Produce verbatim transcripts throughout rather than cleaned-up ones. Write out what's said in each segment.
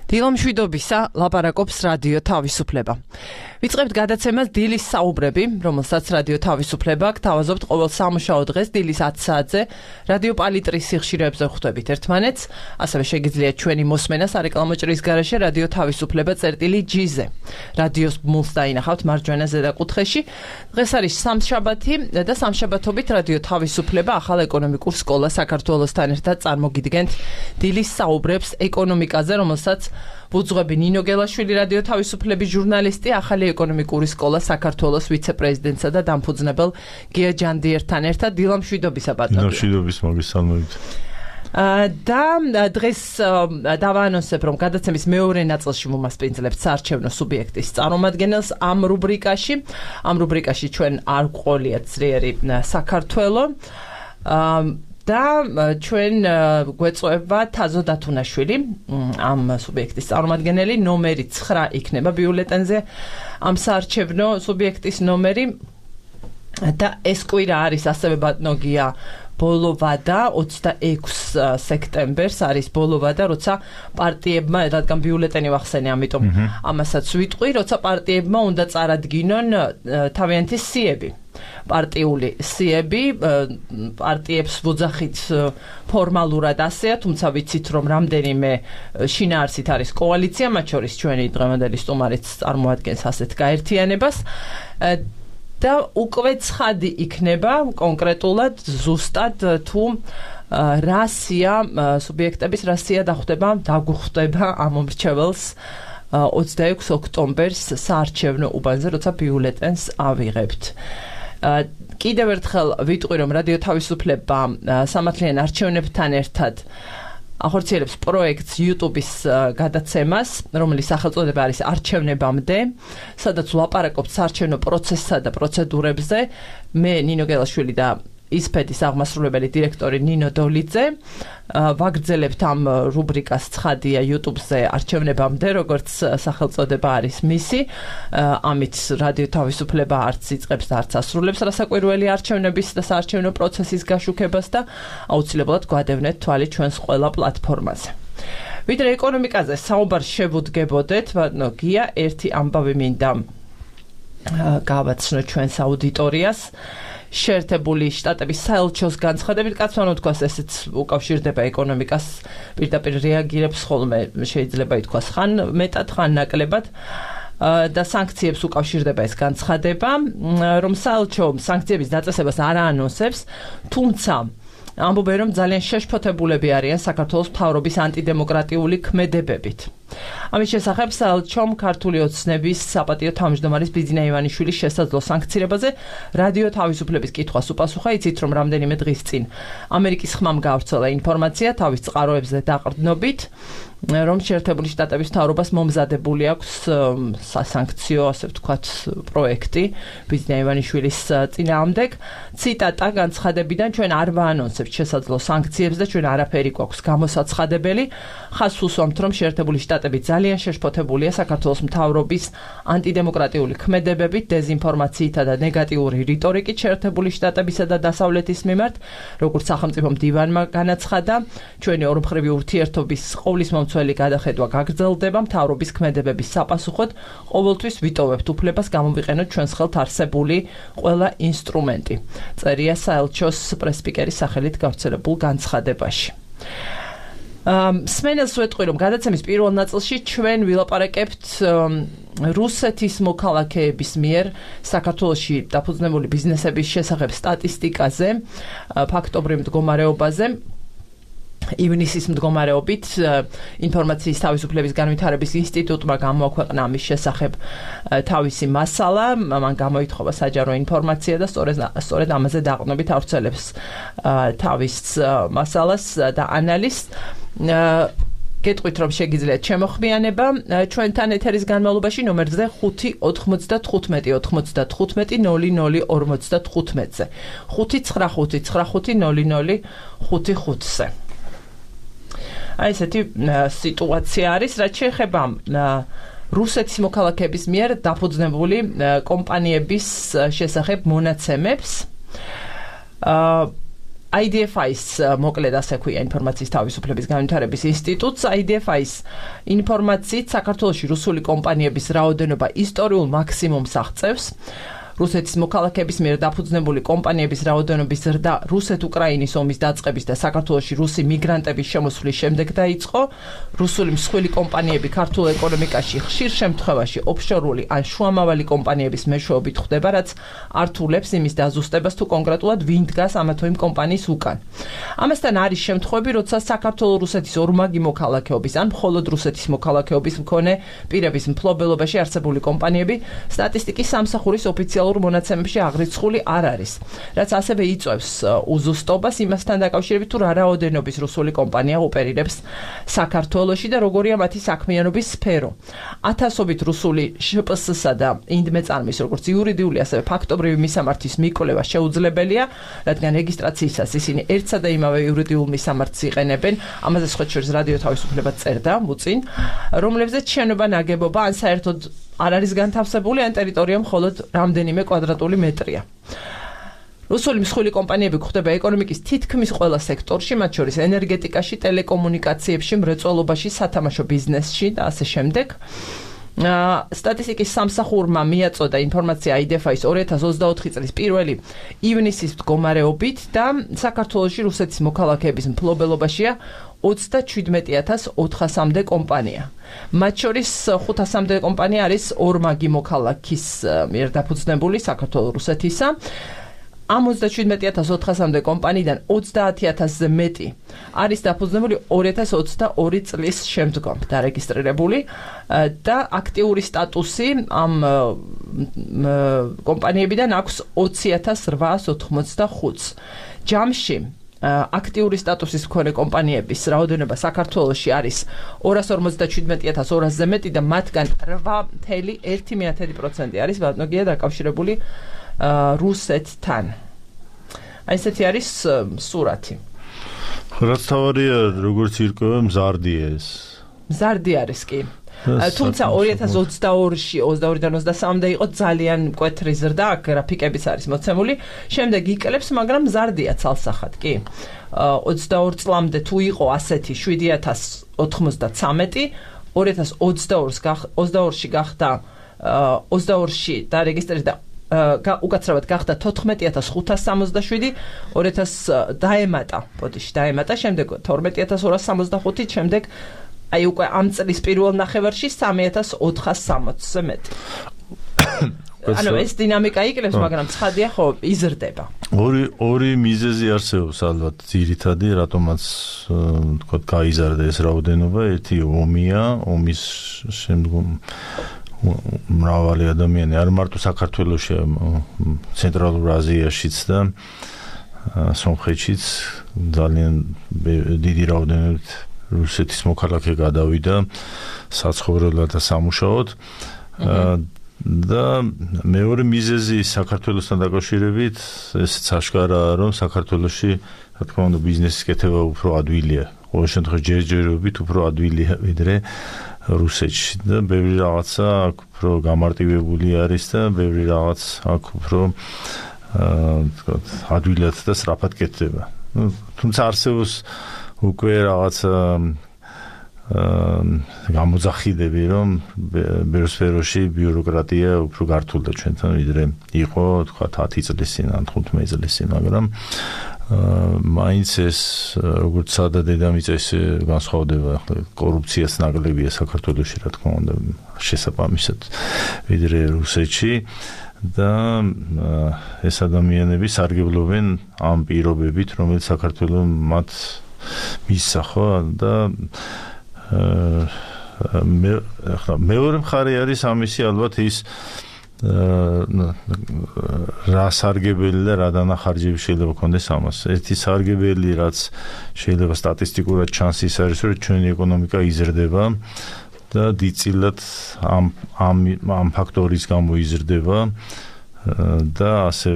დილამშვიდობისა ლაპარაკობს რადიო თავისუფლება. ვიწყებთ გადაცემას დილის საუბრები, რომელსაც რადიო თავისუფლება გთავაზობთ ყოველ სამუშაო დღეს დილის ათი საათზე რადიო პალიტრის სიხშირეებზე ხვდებით ერთმანეთს, ასევე შეგიძლიათ ჩვენი მოსმენა სარეკლამო ჭრის გარეშე რადიო თავისუფლება წერტილი ჯი-ზე. რადიოს ბმულს დაინახავთ მარჯვენა ზედაკუთხეში. დღეს არის სამშაბათი და სამშაბათობით რადიო თავისუფლება ახალ ეკონომიკურ სკოლას საქართველოსთან ერთად წარმოგიდგენთ დილის საუბრებს ეკონომიკაზე, რომელსაც ვუძღვები ნინო გელაშვილი რადიო თავისუფლების ჟურნალისტი, ახალი ეკონომიკური სკოლა საქართველოს ვიცე-პრეზიდენტსა და დამფუძნებელ გია ჯანდიერთან ერთად. დილამშვიდობისა ბატონო. დილამშვიდობის მოგესალმებით. და დღეს დავაანონსებ, რომ გადაცემის მეორე ნაწილში მომასპინძლებთ საარჩევნო სუბიექტის წარმომადგენელს ამ რუბრიკაში. ამ რუბრიკაში ჩვენ არ გვყოლიათ ძლიერი საქართველო. და ჩვენ გვეწვევა თაზო დათუნაშვილი, ამ სუბიექტის წარმომადგენელი, ნომერი ცხრა იქნება ბიულეტენზე ამ საარჩევნო სუბიექტის ნომერი და ეს კვირა არის ასევე ბატონო გია ბოლო ვადა, ოცდაექვსი სექტემბერს არის ბოლო ვადა, როცა პარტიებმა, რადგან ბიულეტენი ვახსენე, ამიტომ ამასაც ვიტყვი, როცა პარტიებმა უნდა წარადგინონ თავიანთი სიები. პარტიული სიები, პარტიებს ვოძახით ფორმალურად ასეა, თუმცა ვიცით, რომ რამდენიმე შინაარსით არის კოალიცია, მათ შორის ჩვენი დღევანდელი სტუმარიც წარმოადგენს ასეთ გაერთიანებას. და უკვე ცხადი იქნება კონკრეტულად ზუსტად თუ რა სია სუბიექტების რა სია დახვდება, დაგუხვდება ამ მომრჩეველს ოცდაექვსი ოქტომბერს საარჩევნო უბანზე, როცა ბიულეტენს ავიღებთ. კიდევ ერთხელ ვიტყვი, რომ რადიო თავისუფლება სამართლიან არჩევნებთან ერთად ახორციელებს პროექტს YouTube-ის გადაცემას, რომლის სახელწოდება არის არჩევნებამდე, სადაც ვლაპარაკობთ საარჩევნო პროცესსა და პროცედურებზე. მე ნინო გელაშვილი და ისფედის აღმასრულებელი დირექტორი ნინო დოლიძე ვაგრძელებთ ამ რუბრიკას ცხადია YouTube-ზე არჩევნებამდე, როგორც სახელწოდება არის მისი. ამით რადიო თავისუფლება არც იწყებს და არც ასრულებს რასაკვირველი არჩევნების და საარჩევნო პროცესის გაშუქებას და აუცილებლად გვადევნეთ თვალი ჩვენს ყველა პლატფორმაზე. ვიდრე ეკონომიკაზე საუბარს შევუდგებოდეთ, ბატონო გია, ერთი ამბავი მინდა გავაცნო ჩვენს აუდიტორიას. შეერთებული შტატების საელჩოს განცხადებით, კაცმანო თქვას, ესეც უკავშირდება ეკონომიკას, პირდაპირ რეაგირებს ხოლმე, შეიძლება ითქვას, ხან მეტად, ხან ნაკლებად და სანქციებს უკავშირდება ეს განცხადება, რომ საელჩო სანქციების დაწესებას არ აანონსებს, თუმცა ამბობენ, რომ ძალიან შეშფოთებულები არიან საქართველოს მთავრობის ანტიდემოკრატიული ქმედებებით. ამის შესახებ საელჩომ ქართული ოცნების საპატიო თავმჯდომარის ბიძინა ივანიშვილის შესაძლო სანქცირებაზე რადიო თავისუფლების კითხვას უპასუხა. იცით, რომ რამდენიმე დღის წინ ამერიკის ხმამ გაავრცელა ინფორმაცია თავის წყაროებზე დაყრდნობით, რომ შეერთებული შტატების მთავრობას მომზადებული აქვს სასანქციო, ასე ვთქვათ, პროექტი ბიძინა ივანიშვილის წინააღმდეგ. ციტატა განცხადებიდან, ჩვენ არ ვაანონსებთ შესაძლო სანქციებს და ჩვენ არაფერი გვაქვს გამოსაცხადებელი. ხაზს უსვამთ, რომ შეერთებული შტატები ძალიან შეშფოთებულია საქართველოს მთავრობის ანტიდემოკრატიული ქმედებებით, დეზინფორმაციითა და ნეგატიური რიტორიკით შეერთებული შტატებისა და დასავლეთის მიმართ, როგორც სახელმწიფო მდივანმა განაცხადა, ჩვენი ორმხრივი ურთიერთობის ყოვლის მომცველი გადახედვა გაგრძელდება მთავრობის ქმედებების საპასუხოდ, ყოველთვის ვიტოვებთ უფლებას გამოვიყენოთ ჩვენს ხელთ არსებული ყველა ინსტრუმენტი. წერია საელჩოს პრესპიკერის სახელით გავრცელებულ განცხადებაში. სმენელს ვეტყვი, რომ გადაცემის პირველ ნაწილში ჩვენ ვილაპარაკებთ რუსეთის მოქალაქეების მიერ საქართველოში დაფუძნებული ბიზნესების შესახებ სტატისტიკაზე, ფაქტობრივ მდგომარეობაზე. ივნისის მდგომარეობით ინფორმაციის თავისუფლების განვითარების ინსტიტუტმა გამოაქვეყნა ამის შესახებ თავისი მასალა, მან გამოითხოვა საჯარო ინფორმაცია და სწორედ ამაზე დაყრდნობით ავრცელებს თავის მასალას და ანალიზს. გეტყვით, რომ შეგიძლიათ შემოხმიანება ჩვენთან ეთერის განმავლობაში ნომერზე ხუთი ოთხმოცდათხუთმეტი ოცდათხუთმეტი ნული ნული ორმოცდათხუთმეტზე. ხუთი ცხრა ხუთი ცხრა ხუთი ნული ნული ხუთი ხუთზე. აი ესეთი სიტუაცია არის, რაც შეეხება რუსეთის მოქალაქეების მიერ დაფუძნებული კომპანიების შესახებ მონაცემებს. I D F I-ს მოკლედ ასე ქვია ინფორმაციის თავისუფლების განვითარების ინსტიტუტს. I D F I-ს ინფორმაციით საქართველოში რუსული კომპანიების რაოდენობა ისტორიულ მაქსიმუმს აღწევს. რუსეთის მოქალაქეების მიერ დაფუძნებული კომპანიების რაოდენობის ზრდა რუსეთ-უკრაინის ომის დაწყების და საქართველოში რუსი მიგრანტების შემოსვლის შემდეგ დაიწყო. რუსული მსხვილი კომპანიები ქართულ ეკონომიკაში ხშირ შემთხვევაში ოფშორული ან შუამავალი კომპანიების მეშვეობით ხვდება, რაც ართულებს იმის დაზუსტებას, თუ კონკრეტულად ვინ დგას ამა თუ იმ კომპანიის უკან. ამასთან არის შემთხვევები, როცა საქართველო-რუსეთის ორმაგი მოქალაქეობის ან მხოლოდ რუსეთის მოქალაქეობის მქონე პირების მფლობელობაში არსებული კომპანიები სტატისტიკის სამსახურის ოფიციალურ მონაცემებში აღრიცხული არ არის, რაც ასევე იწვევს უზუსტობას იმასთან დაკავშირებით, თუ რა რაოდენობის რუსული კომპანია ოპერირებს საქართველოში და როგორია მათი საქმიანობის სფერო. ათასობით რუსული შ პ სს-სა და ინდმეწარმის როგორც იურიდიული, ასევე ფაქტობრივი მისამართის მიკვლევა შეუძლებელია, რადგან რეგისტრაციისას ისინი ერთსა და იმავე იურიდიულ მისამართს იყენებენ, ამაზე სხვა შორის რადიო თავისუფლება წერდა მუწინ, რომლებზეც შენობა ნაგებობა ან საერთოდ არ არის განთავსებული, ან ტერიტორია მხოლოდ რამდენიმე კვადრატული მეტრია. რუსული მსხვილი კომპანიები გვხვდება ეკონომიკის თითქმის ყველა სექტორში, მათ შორის ენერგეტიკაში, ტელეკომუნიკაციებში, მრეწველობაში, სათამაშო ბიზნესში და ასე შემდეგ. სტატისტიკის სამსახურმა მიაწოდა ინფორმაცია I D F I-ს ორი ათას ოცდაოთხი წლის პირველი ივნისის მდგომარეობით და საქართველოში რუსეთის მოქალაქეების მფლობელობაშია ოცდაჩვიდმეტი ათას ოთხასამდე კომპანია. მათ შორის ხუთასამდე კომპანია არის ორმაგი მოქალაქის მიერ დაფუძნებული საქართველო-რუსეთისა. ამ ოცდაჩვიდმეტი ათას ოთხასამდე კომპანიიდან ოცდაათი ათასზე მეტი არის დაფუძნებული ორი ათას ოცდაორი წლის შემდგომ დარეგისტრირებული და აქტიური სტატუსი ამ კომპანიებიდან აქვს ოცი ათას რვაას ოთხმოცდახუთს. ჯამში აქტიური სტატუსის მქონე კომპანიების რაოდენობა საქართველოში არის ორას ორმოცდაჩვიდმეტი ათას ორასზე მეტი და მათგან რვა წუთი ერთი პროცენტი არის ბატონოგია დაკავშირებული რუსეთთან. აი ესეთი არის სურათი. რაც თავარია, როგორც ირკვევა მზარდია ეს. მზარდი არის კი. თუმცა ორი ათას ოცდაორში ოცდაორიდან ოცდასამამდე იყო ძალიან მკვეთრი ზრდა, აქ გრაფიკებიც არის მოცემული. შემდეგ იკლებს, მაგრამ მზარდია ცალსახად, კი. ოცდაორ წლამდე თუ იყო ასეთი შვიდი ათას ოთხმოცდათრამეტი, ორი ათას ოცდაორში გახდა ოცდაორში დარეგისტრირდა უკაცრავად გახდა თოთხმეტი ათას ხუთას სამოცდაშვიდი, ორი ათას დაემატა, ბოდიში დაემატა, შემდეგ თორმეტი ათას ორას სამოცდახუთი, შემდეგ აი უკვე ამ წლის პირველ ნახევარში სამი ათას ოთხას სამოცზე მეტი. ანუ ეს დინამიკა იკლებს, მაგრამ ცხადია ხო იზრდება. ორი ორი მიზეზი არსებობს ალბათ ძირითადი, რატომაც თქვა გაიზარდა ეს რაოდენობა, ერთი ომია, ომის შემდგომ მრავალი ადამიანი არ მარტო საქართველოში, ცენტრალურ აზიაშიც და სომხეთშიც ძალიან დიდი რაოდენობით რუსეთის მოქალაქე გადავიდა საცხოვრებლად და სამუშაოდ. და მეორე მიზეზი საქართველოსთან დაკავშირებით ესეც აშკარაა, რომ საქართველოში რა თქმა უნდა ბიზნესის კეთება უფრო ადვილია. ყოველ შემთხვევაში ჯერჯერობით უფრო ადვილია ვიდრე რუსეთში და ბევრი რაღაცა აქ უფრო გამარტივებული არის და ბევრი რაღაც აქ უფრო აა ადვილად და სწრაფად კეთდება. თუმცა არსებობს უკვე რაღაცა გამოძახიდები, რომ ბევრ სფეროში ბიუროკრატია უფრო გართულდა ჩვენთან ვიდრე იყო თქვა ათი წლის წინ ან თხუთმეტი წლის წინ, მაგრამ მაინც ეს როგორც სადა დედამიწა განსხვავდება, ახლა კორუფციას ნაკლებია საქართველოში, რა თქმა უნდა, შესაბამისად ვიდრე რუსეთში და ეს ადამიანები სარგებლობენ ამ პირობებით, რომელიც საქართველოს მათ მისცა ხო და მე ახლა მეორე მხარე არის ამისი ალბათ ის რა სარგებელი და რა დანახარჯები შეიძლება ქონდეს ამას. ერთი სარგებელი, რაც შეიძლება სტატისტიკურად ჩანს, ის არის, რომ ჩვენი ეკონომიკა იზრდება და დიდწილად ამ ამ ამ ფაქტორის გამო იზრდება და ასე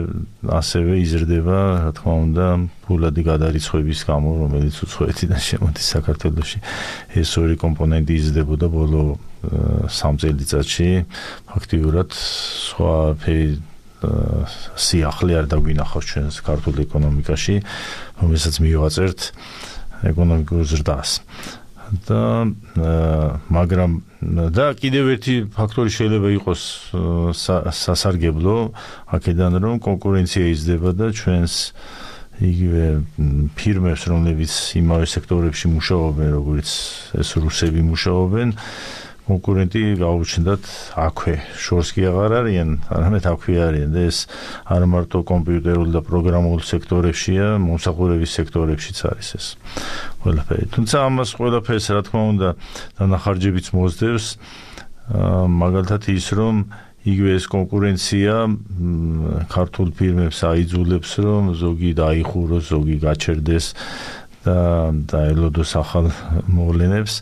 ასევე იზრდება, რა თქმა უნდა, ფულადი გადარიცხვების გამო, რომელიც უცხოეთიდან შემოდის საქართველოში. ეს ორი კომპონენტი იზრდებოდა ბოლო სამ წელიწადში, ფაქტიურად სხვა სიახლე არ დაგვინახავს ჩვენს ქართულ ეკონომიკაში, რომელსაც მივაწერთ ეკონომიკურ ზრდას. და მაგრამ და კიდევ ერთი ფაქტორი შეიძლება იყოს სასარგებლო აქედან რომ კონკურენცია იზრდება და ჩვენს იგივე ფირმებს რომლებიც იმავე სექტორებში მუშაობენ როგორც ეს რუსები მუშაობენ კონკურენტი გაუჩნდათ აქვე შორს კი აღარ არიან არამედ აქვე არიან და ეს არ მარტო კომპიუტერულ და პროგრამულ სექტორებშია მომსახურების სექტორებშიც არის ეს ყველაფერი თუმცა ამას ყველაფერს რა თქმა უნდა დანახარჯებიც მოსდევს მაგალითად ის რომ იგივე ეს კონკურენცია ქართულ ფირმებს აიძულებს რომ ზოგი დაიხუროს ზოგი გაჩერდეს და დაელოდოს ახალ მოვლენებს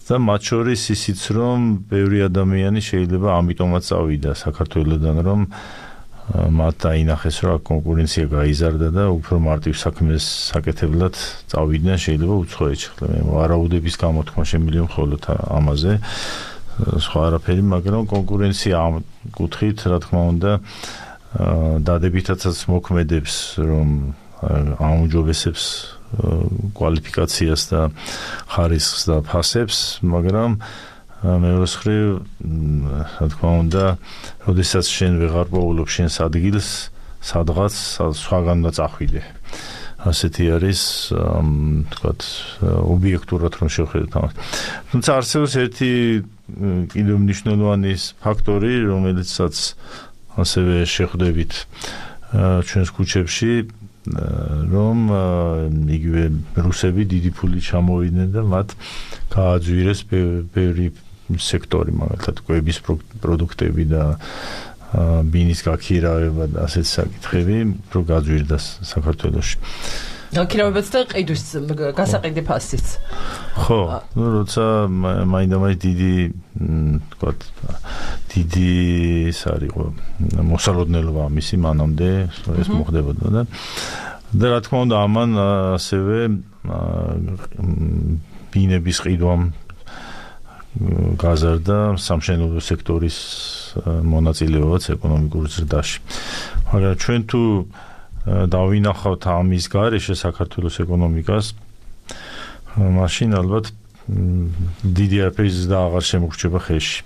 და მათ შორის ისიც რომ ბევრი ადამიანი შეიძლება ამიტომაც წავიდა საქართველოსდან რომ მათ დაინახეს რომ კონკურენცია გაიზარდა და უფრო მარტივ საქმეს საკეთებლად წავიდნენ შეიძლება უცხოეთში ხლა მე ვარაუდების გამოთქმა შემიძლია მხოლოდ ამაზე სხვა არაფერი მაგრამ კონკურენცია ამ კუთხით რა თქმა უნდა დადებითაცაც მოქმედებს რომ აუმჯობესებს კვალიფიკაციას და ხარისხს და ფასებს, მაგრამ მეორე მხრივ, რა თქმა უნდა, როდესაც შენ ვეღარ პოულობ შენს ადგილს, სადღაც სხვაგან და წახვიდე. ასეთი არის, თქვათ, ობიექტურად რომ შევხედოთ ამას. თუმცა არსებობს ერთი კიდევ მნიშვნელოვანი ფაქტორი, რომელიცაც ასევე შეხვდებით ჩვენს ქუჩებში რომ იგივე რუსები დიდი ფული ჩამოვიდნენ და მათ გააძვირეს ბევრი სექტორი, მაგალითად კვების პროდუქტები და ბინის გაქირავება და ასეთ საკითხები, რო გაძვირდა საქართველოში. გაქირავებაც და ყიდვის გასაყიდე ფასიც. ხო, ну, როცა მაინდა-მაინც დიდი, თქვათ, დიდი ის არისო, მოსალოდნელობა მისი მანამდე ეს მოხდებოდა და და რა თქმა უნდა ამან ასევე ბინების ყიდვამ გაზარდა სამშენებლო სექტორის მონაწილეობაც ეკონომიკურ ზრდაში. მაგრამ ჩვენ თუ დავინახავთ ამის გარეშე საქართველოს ეკონომიკას, მაშინ ალბათ დიდი არაფერი ზრდა აღარ შემოგრჩება ხელში.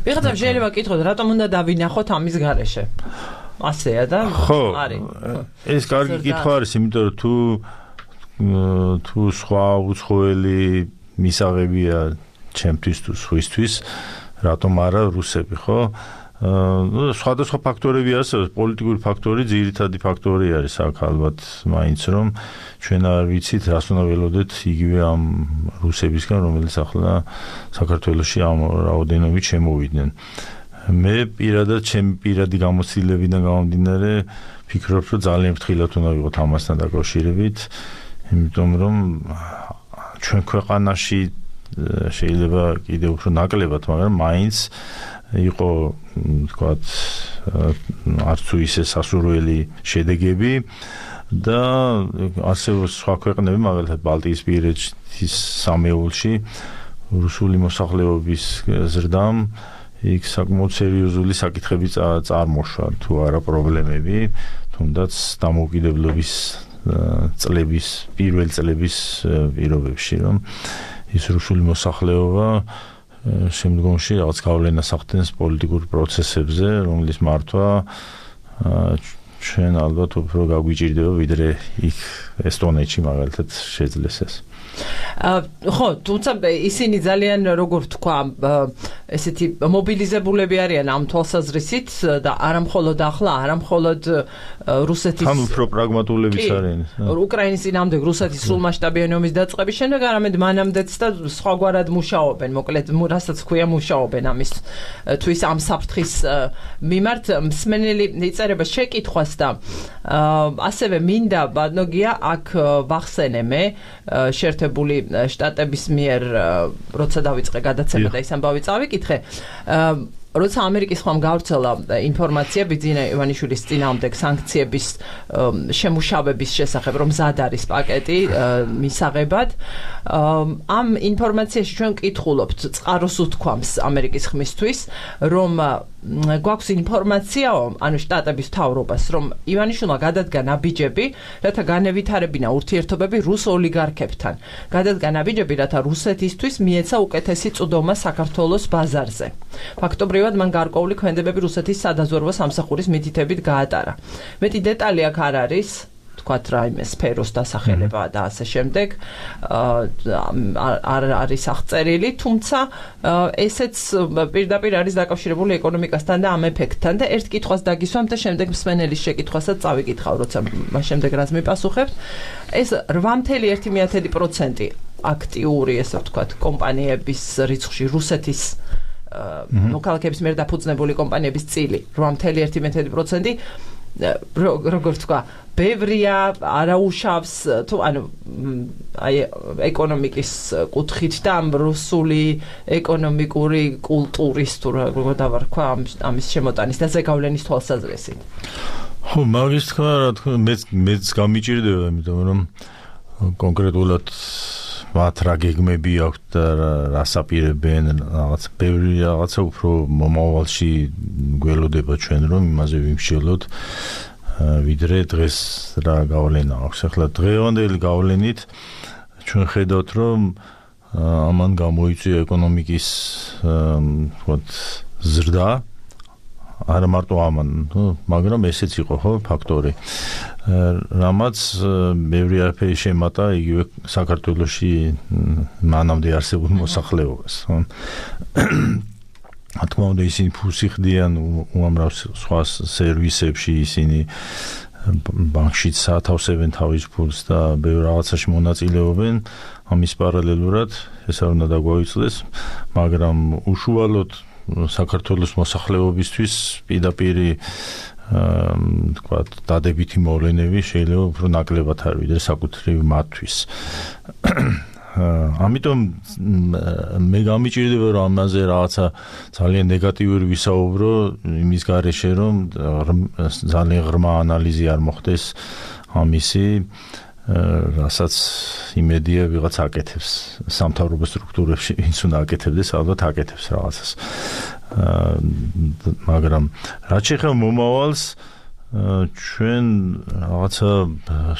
ვიღაცამ შეიძლება კითხოთ, რატომ უნდა დავინახოთ ამის გარეშე? ასეა და არის. ეს კარგი კითხვა არის, იმიტომ რომ თუ თუ სხვა უცხოელი მისაღებია ჩემთვის თუ სხვისთვის, რატომ არა რუსები, ხო? ну სხვადასხვა ფაქტორები არსებობს პოლიტიკური ფაქტორი ძირითადი ფაქტორი არის აქ ალბათ მაინც რომ ჩვენ არ ვიცით რას უნდა ველოდეთ იგივე ამ რუსებისგან რომელიც ახლა საქართველოში ამ რაოდენობით შემოვიდნენ მე პირადად ჩემი პირადი გამოცდილებიდან გამომდინარე ფიქრობ რომ ძალიან ფრთხილად უნდა ვიყოთ ამასთან დაკავშირებით იმიტომ რომ ჩვენ ქვეყანაში შეიძლება კიდევ უფრო ნაკლებად მაგრამ მაინც იყო თქვათ არც თუ ისე სასურველი შედეგები და არსებობს სხვა ქვეყნები მაგალითად ბალტიისპირეთის სამეულში რუსული მოსახლეობის ზრდამ იქ საკმაოდ სერიოზული საკითხები წარმოშვა თუ არა პრობლემები თუნდაც დამოუკიდებლობის წლების პირველ წლების პირობებში რომ ის რუსული მოსახლეობა შემდგომში რაღაც გავლენას ახდენს პოლიტიკურ პროცესებზე, რომლის მართვა ჩვენ ალბათ უფრო გაგვიჭირდება ვიდრე იქ ესტონეთში მაგალითად შეძლეს ეს. ხო, თუმცა ისინი ძალიან როგორ თქვა, ესეთი მობილიზებულები არიან ამ თვალსაზრისით და არა მხოლოდ ახლა, არა მხოლოდ რუსეთის ამ უფრო პრაგმატულებიც არიან. უკრაინის წინააღმდეგ რუსეთის სრულმასშტაბიანი ომის დაწყების შემდეგ არამედ მანამდეც და სხვაგვარად მუშაობენ, მოკლედ რასაც ქვია მუშაობენ ამის თვის ამ საფრთხის მიმართ მსმენელი იწერება შეკითხვას და ასევე მინდა ბადნოგია აქ ვახსენე მე შერთებული შტატების მიერ როცა დავიწყე გადაცემა და ის ამბავი წავიკითხე როცა ამერიკის ხომ გავრცელა ინფორმაცია ბიძინა ივანიშვილის წინააღმდეგ სანქციების შემუშავების შესახებ, რომ მზად არის პაკეტი მისაღებად, ამ ინფორმაციაში ჩვენ ვკითხულობთ წყაროს უთქვამს ამერიკის ხმისთვის, რომ გვაქვს ინფორმაციაო, ანუ შტატების მთავრობას, რომ ივანიშვილმა გადადგა ნაბიჯები, რათა განევითარებინა ურთიერთობები რუს ოლიგარქებთან. გადადგა ნაბიჯები, რათა რუსეთისთვის მიეცა უკეთესი წვდომა საქართველოს ბაზარზე. ფაქტობრივად მან გარკვეული ქმედებები რუსეთის სადაზვერვო სამსახურის მითითებით გაატარა. მეტი დეტალი აქ არ არის, თქვათ რაიმე სფეროს დასახელება და ასე შემდეგ, არ არის აღწერილი, თუმცა ესეც პირდაპირ არის დაკავშირებული ეკონომიკასთან და ამ ეფექტთან და ერთ კითხვას დაგისვამ და შემდეგ მსმენელის შეკითხვასაც წავიკითხავ, როცა შემდეგ რაც მიპასუხებთ. ეს რვა წუთი ერთი პროცენტი აქტიური, ესე ვთქვათ, კომპანიების რიცხვში რუსეთის მოქალაქეების მიერ დაფუძნებული კომპანიების წილი რვა წუთი ერთი პროცენტი როგორ თქვა, ბევრია, არაუშავს, თუ ანუ აი ეკონომიკის კუთხით და ამ რუსული ეკონომიკური კულტურის თუ როგორ დავარქვა ამის შემოტანის და ზეგავლენის თვალსაზრისით. ხო, მაგის თქვა, რა თქმა უნდა, მეც მეც გამიჭირდება, იმიტომ რომ კონკრეტულად მათ რა გეგმები აქვთ და რას აპირებენ, რაღაც ბევრი რაღაცა უფრო მომავალში გველოდება ჩვენ, რომ იმაზე ვიმსჯელოთ, ვიდრე დღეს რა გავლენა აქვს. ახლა დღევანდელი გავლენით ჩვენ ხედავთ, რომ ამან გამოიწვია ეკონომიკის ვთქვათ ზრდა, არა მარტო ამან, მაგრამ ესეც იყო ხო ფაქტორი. რამაც ბევრი არაფერი შემატა იგივე საქართველოში მანამდე არსებულ მოსახლეობას. რა თქმა უნდა, ისინი ფულს იხდიან უამრავ სხვა სერვისებში, ისინი ბანკში სათავსებენ თავის ფულს და ბევრ რაღაცაში მონაწილეობენ. ამის პარალელურად ეს არ უნდა დაგვაუწყდეს, მაგრამ უშუალოდ საქართველოს მოსახლეობისთვის პირდაპირი თქვათ დადებითი მოვლენები შეიძლება უფრო ნაკლებად არ ვიდრე საკუთრივ მათთვის. ამიტომ მე გამიჭირდება, რომ ამაზე რაღაცა ძალიან ნეგატიური ვისაუბრო იმის გარეშე, რომ ძალიან ღრმა ანალიზი არ მოხდეს ამისი, რასაც იმედია ვიღაც აკეთებს სამთავრობო სტრუქტურებში, ვინც უნდა აკეთებდეს, ალბათ აკეთებს რაღაცას. მაგრამ რაც შეეხება მომავალს, ჩვენ რაღაცა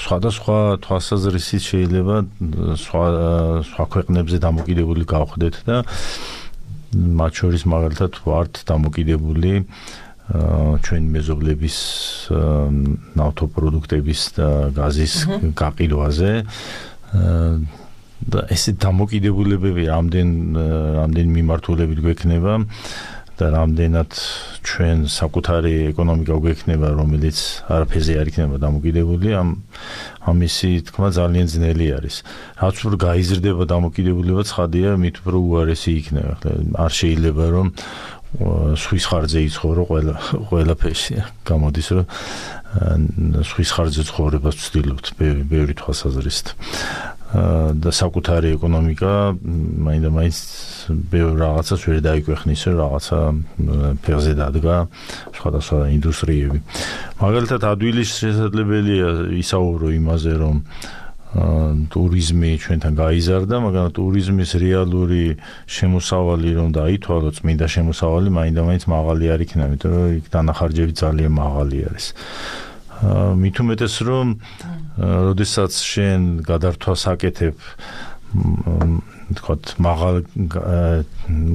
სხვადასხვა თვალსაზრისით შეიძლება სხვა სხვა ქვეყნებზე დამოკიდებული გავხდეთ და მათ შორის მაგალითად ვართ დამოკიდებული ჩვენი მეზობლების ნავთობპროდუქტების და გაზის გაყიდვაზე და ესე დამოკიდებულებები რამდენ რამდენ მიმართულებით გვექნება და რამდენად ჩვენ საკუთარი ეკონომიკა გვექნება, რომელიც არაფერზე არ იქნება დამოკიდებული, ამ ამისი თქმა ძალიან ძნელი არის. რაც უფრო გაიზრდება დამოკიდებულება, ცხადია, მით უფრო უარესი იქნება. არ შეიძლება რომ სვის ხარჯზე იცხოვრო ყველა ყველაფერში. გამოდის რომ სვის ხარჯზე ცხოვრებას ვცდილობთ ბევრი თვალსაზრისით. და საკუთარი ეკონომიკა მაინდა-მაინც ბევრ რაღაცას ვერ დაიკვეხნის, რაღაცა ფეხზე დადგა სხვადასხვა ინდუსტრიები. მაგალითად, ადვილის შესაძლებელია ისაუბრო იმაზე, რომ ტურიზმი ჩვენთან გაიზარდა, მაგრამ ტურიზმის რეალური შემოსავალი რომ დაითვალოთ, წმინდა შემოსავალი მაინდა-მაინც მაღალი არ იქნება, იმიტომ რომ იქ დანახარჯები ძალიან მაღალი არის. მით უმეტეს რომ როდესაც შენ გადართვას აკეთებ თქვათ მაღალ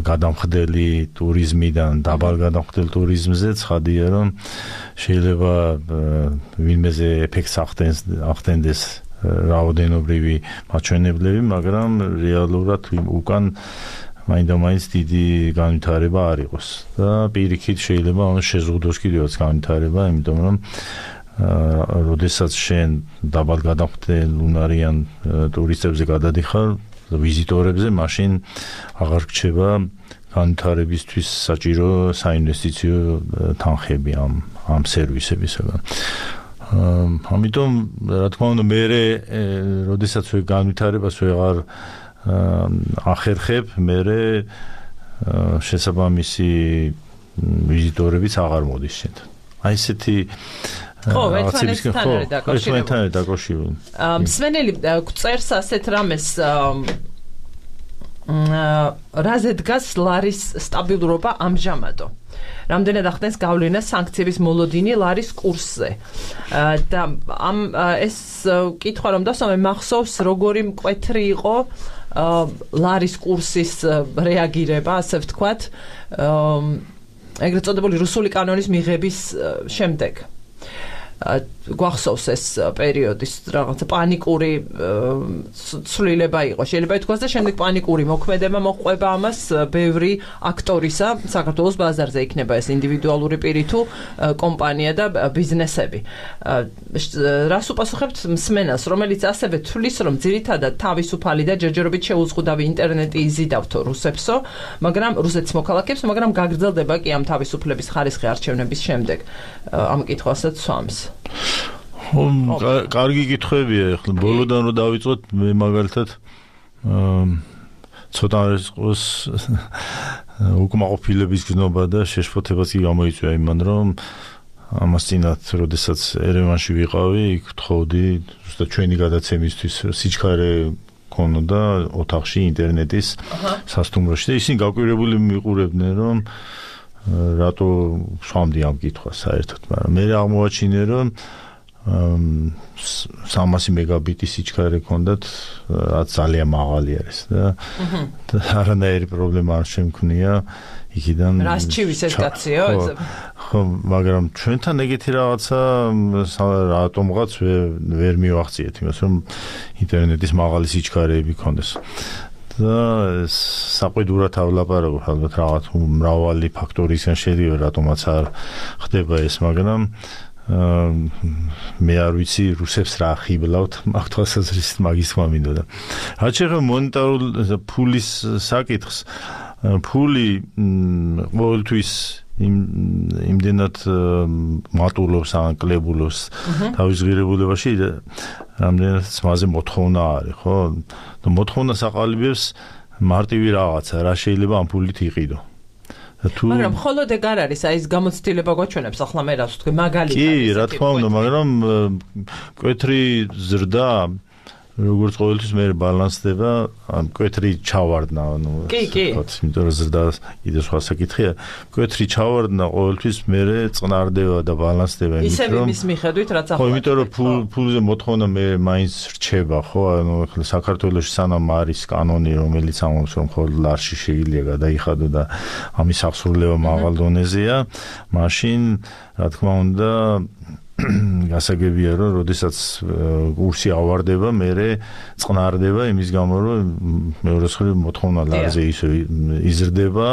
გადამხდელი ტურიზმიდან დაბალ გადამხდელ ტურიზმზე, ცხადია რომ შეიძლება ვინმეზე ეფექტს ახდენდეს რაოდენობრივი მაჩვენებლები, მაგრამ რეალურად უკან მაინდა-მაინც დიდი განვითარება არ იყოს და პირიქით შეიძლება ამას შეზღუდოს კიდევაც განვითარება, იმიტომ რომ როდესაც შენ დაბალ გადამხდელ უნარიან ტურისტებზე გადადიხარ, ვიზიტორებზე, მაშინ აღარ გრჩება განვითარებისთვის საჭირო საინვესტიციო თანხები ამ ამ სერვისებისგან. ამიტომ რა თქმა უნდა მე როდესაც განვითარებას ვეღარ ახერხებ, მე შესაბამისი ვიზიტორებიც აღარ მოდის შენთან. აი ესეთი ხო, ერთმანეთთან არის დაკავშირებული. ერთმანეთთან არის დაკავშირებული. მსმენელი წერს ასეთ რამეს რაზე დგას ლარის სტაბილურობა ამჟამადო. რამდენად ახდენს გავლენა სანქციების მოლოდინი ლარის კურსზე. და ამ ეს კითხვა რომ დასვამე მახსოვს როგორი მკვეთრი იყო ლარის კურსის რეაგირება, ასე ვთქვათ, ეგრეთ წოდებული რუსული კანონის მიღების შემდეგ. გვახსოვს ეს პერიოდის რაღაცა პანიკური ცვლილება იყო. შეიძლება ითქვას და შემდეგ პანიკური მოქმედება მოყვება ამას ბევრი აქტორისა საქართველოს ბაზარზე იქნება ეს ინდივიდუალური პირი თუ კომპანია და ბიზნესები. რას უპასუხებთ მსმენელს, რომელიც ასევე თვლის, რომ ძირითადად თავისუფალი და ჯერჯერობით შეუზღუდავი ინტერნეტი იზიდავთო რუსებსო, მაგრამ რუსეთის მოქალაქეებს, მაგრამ გაგრძელდება კი ამ თავისუფლების ხარისხი არჩევნების შემდეგ. ამ კითხვასაც სვამს. კარგი კითხვებია, ახლა ბოლოდან რო დავიწყოთ, მე მაგალითად ცოტა არის ყოს უკმაყოფილების გზნობა და შეშფოთებაც კი გამოიწვია იმან, რომ ამას წინათ, როდესაც ერევანში ვიყავი, იქ ვთხოვდი, ზუსტად ჩვენი გადაცემისთვის სიჩქარე ქონოდა ოთახში ინტერნეტის სასტუმროში და ისინი გაკვირვებული მიყურებდნენ, რომ რატო სვამდი ამ კითხვას საერთოდ, მაგრამ მე აღმოაჩინე, რომ სამასი მეგაბიტი სიჩქარე ქონდათ, რაც ძალიან მაღალი არის და არანაირი პრობლემა არ შემქნია იქიდან. რას ჩივის ეს კაციო? ხო, მაგრამ ჩვენთან ეგეთი რაღაცა რატომღაც ვერ მივახციეთ, იმას რომ ინტერნეტის მაღალი სიჩქარეები ქონდეს. და საყვედურადავლაპარაკობ, ალბათ რაღაც მრავალი ფაქტორისგან შედგება, რატომაც არ ხდება ეს, მაგრამ მე არ ვიცი რუსებს რა ხიბლავთ, მაგ თვალსაზრისით მაგის თქმა მინდოდა. რაც შეეხება მონეტარულ ფულის საკითხს, ფული ყოველთვის იმდენად მატულობს ან კლებულობს თავის ღირებულებაში, რამდენად მასზე მოთხოვნა არის, ხო? და მოთხოვნა საყალიბებს მარტივი რაღაცა, რა შეიძლება ამ ფულით იყიდო. მაგრამ მხოლოდ ეგ არ არის, აი ეს გამოცდილება გვაჩვენებს, ახლა მე რას ვთქვი, მაგალითად. კი, რა თქმა უნდა, მაგრამ მკვეთრი ზრდა როგორც ყოველთვის მე ბალანსდება, მკვეთრი ჩავარდნა, ანუ კი, კი. იმიტომ რომ ზრდა კიდე სხვა საკითხია, მკვეთრი ჩავარდნა ყოველთვის მე წყნარდება და ბალანსდება, იმიტომ რომ ისე მის მიხედვით რაც ახლა. ხო, იმიტომ რომ ფულზე მოთხოვნა მე მაინც რჩება, ხო, ანუ ახლა საქართველოში სანამ არის კანონი, რომელიც ამბობს, რომ მხოლოდ ლარში შეიძლება გადაიხადო და ამის აღსრულება მაღალ დონეზეა, მაშინ რა თქმა უნდა გასაგებია, რომ როდესაც კურსი ავარდება, მერე წყნარდება იმის გამო, რომ მეორე მხრივ მოთხოვნა ლარზე ისე იზრდება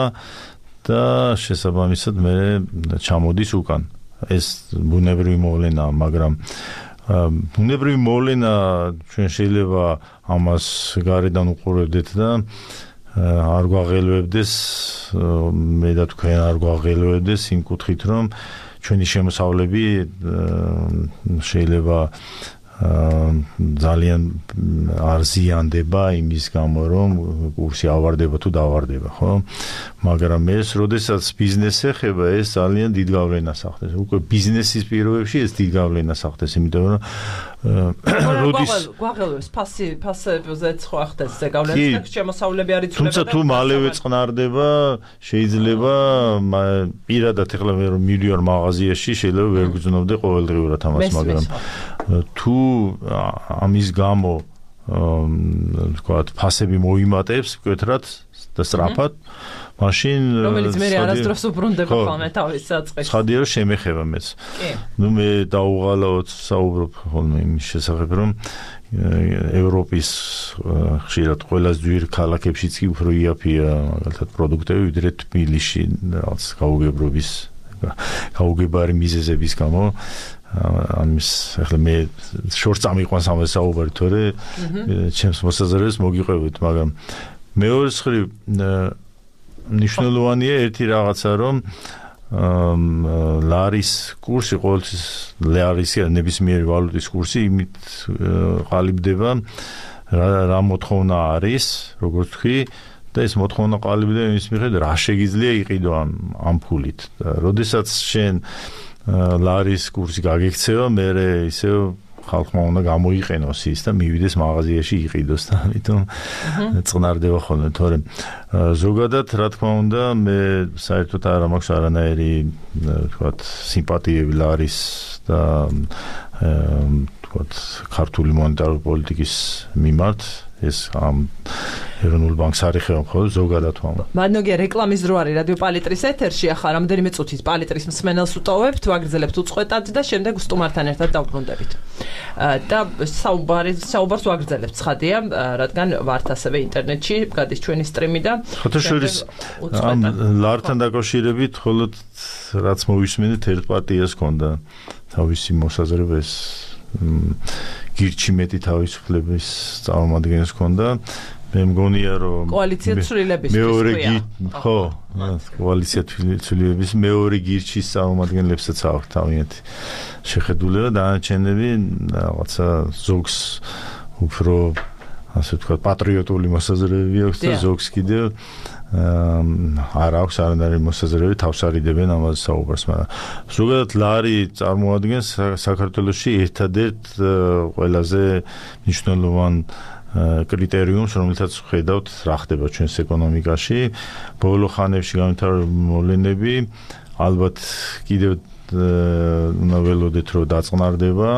და შესაბამისად მერე ჩამოდის უკან. ეს ბუნებრივი მოვლენაა, მაგრამ ბუნებრივი მოვლენა ჩვენ შეიძლება ამას გარედან უყურებდეთ და არ გვაღელვებდეს, მე და თქვენ არ გვაღელვებდეს იმ კუთხით, რომ ჩვენი შემოსავლები შეიძლება ძალიან არ ზიანდება იმის გამო, რომ კურსი ავარდება თუ დავარდება, ხო? მაგრამ ეს, როდესაც ბიზნესს ეხება, ეს ძალიან დიდ გავლენას ახდენს. უკვე ბიზნესის პირობებში ეს დიდ გავლენას ახდენს, იმიტომ რომ როდის გვაღელვებს ფასი ფასებზეც ხო ახდენს ეს გავლენას და შემოსავლები არ იცვლება. თუმცა თუ მალევე წყნარდება, შეიძლება პირადად ეხლა მე რომ მივიდივარ მაღაზიაში, შეიძლება ვერ გძნობდე ყოველდღიურად ამას, მაგრამ თუ ამის გამო ვთქვათ ფასები მოიმატებს მკვეთრად და სწრაფად, მაშინ რომელიც მე არასდროს უბრუნდება ხოლმე თავის საწყისში. ცხადია რომ შემეხება მეც. ნუ მე დაუღალავთ საუბრობ ხოლმე იმის შესახებ, რომ ევროპის ხშირად ყველაზე ძვირ ქალაქებშიც კი უფრო იაფია მაგალითად პროდუქტები, ვიდრე თბილისში რაღაც გაუგებრობის გაუგებარი მიზეზების გამო. ამის ახლა მე შორს წამიყვანს ამ საუბარი, თორე ჩემს მოსაზრებას მოგიყვებით, მაგრამ მეორე მხრივ მნიშვნელოვანია ერთი რაღაცა, რომ ლარის კურსი, ყოველთვის ლარის ნებისმიერი ვალუტის კურსი იმით ყალიბდება, რა მოთხოვნა არის, როგორც თქვი, და ეს მოთხოვნა ყალიბდა იმის მიხედვით რა შეგიძლია იყიდო ამ ამ ფულით. როდესაც შენ ლარის კურსი გაგიქცევა, მე ისე ხალხმა უნდა გამოიყენოს ის და მივიდეს მაღაზიაში იყიდოს და ამიტომ წნარდება ხოლმე, თორემ ზოგადად რა თქმა უნდა მე საერთოდ არ მაქვს არანაირი თქვათ სიმპათიები ლარის და თქვათ ქართული მონეტარული პოლიტიკის მიმართ ეს ამ ეროვნულ ბანკს არ ეხება მხოლოდ ზოგადად ვამბობ. მადნოგია რეკლამის დრო არის რადიო პალიტრის ეთერში, ახლა რამდენიმე წუთით პალიტრის მსმენელს უტოვებთ, ვაგრძელებთ უწყვეტად და შემდეგ სტუმართან ერთად დავბრუნდებით. და საუბარი საუბარს ვაგრძელებთ ცხადია, რადგან ვართ ასევე ინტერნეტში, გადის ჩვენი სტრიმი და ხოთაშორის ამ ლართან დაკავშირებით მხოლოდ რაც მოვისმენთ ერთ პარტიას ჰქონდა თავისი მოსაზრება ეს გირჩი მეტი თავისუფლების წარმომადგენელს ჰქონდა. მე მგონია რომ კოალიცია ცვლილების მეორე ხო კოალიცია ცვლილების მეორე გირჩის წარმომადგენლებსაც აქვს თავიანთი შეხედულება და დანარჩენები რაღაცა ზოგს უფრო ასე ვთქვათ პატრიოტული მოსაზრებები აქვს და ზოგს კიდევ არ აქვს არანაირი მოსაზრებები თავს არიდებენ ამაზე საუბარს, მაგრამ ზოგადად ლარი წარმოადგენს საქართველოში ერთადერთ ყველაზე მნიშვნელოვან კრიტერიუმს, რომელთაც ხედავთ რა ხდება ჩვენს ეკონომიკაში. ბოლო ხანებში განვითარებული მოვლენები ალბათ კიდევ უნდა ველოდეთ რომ დაწყნარდება,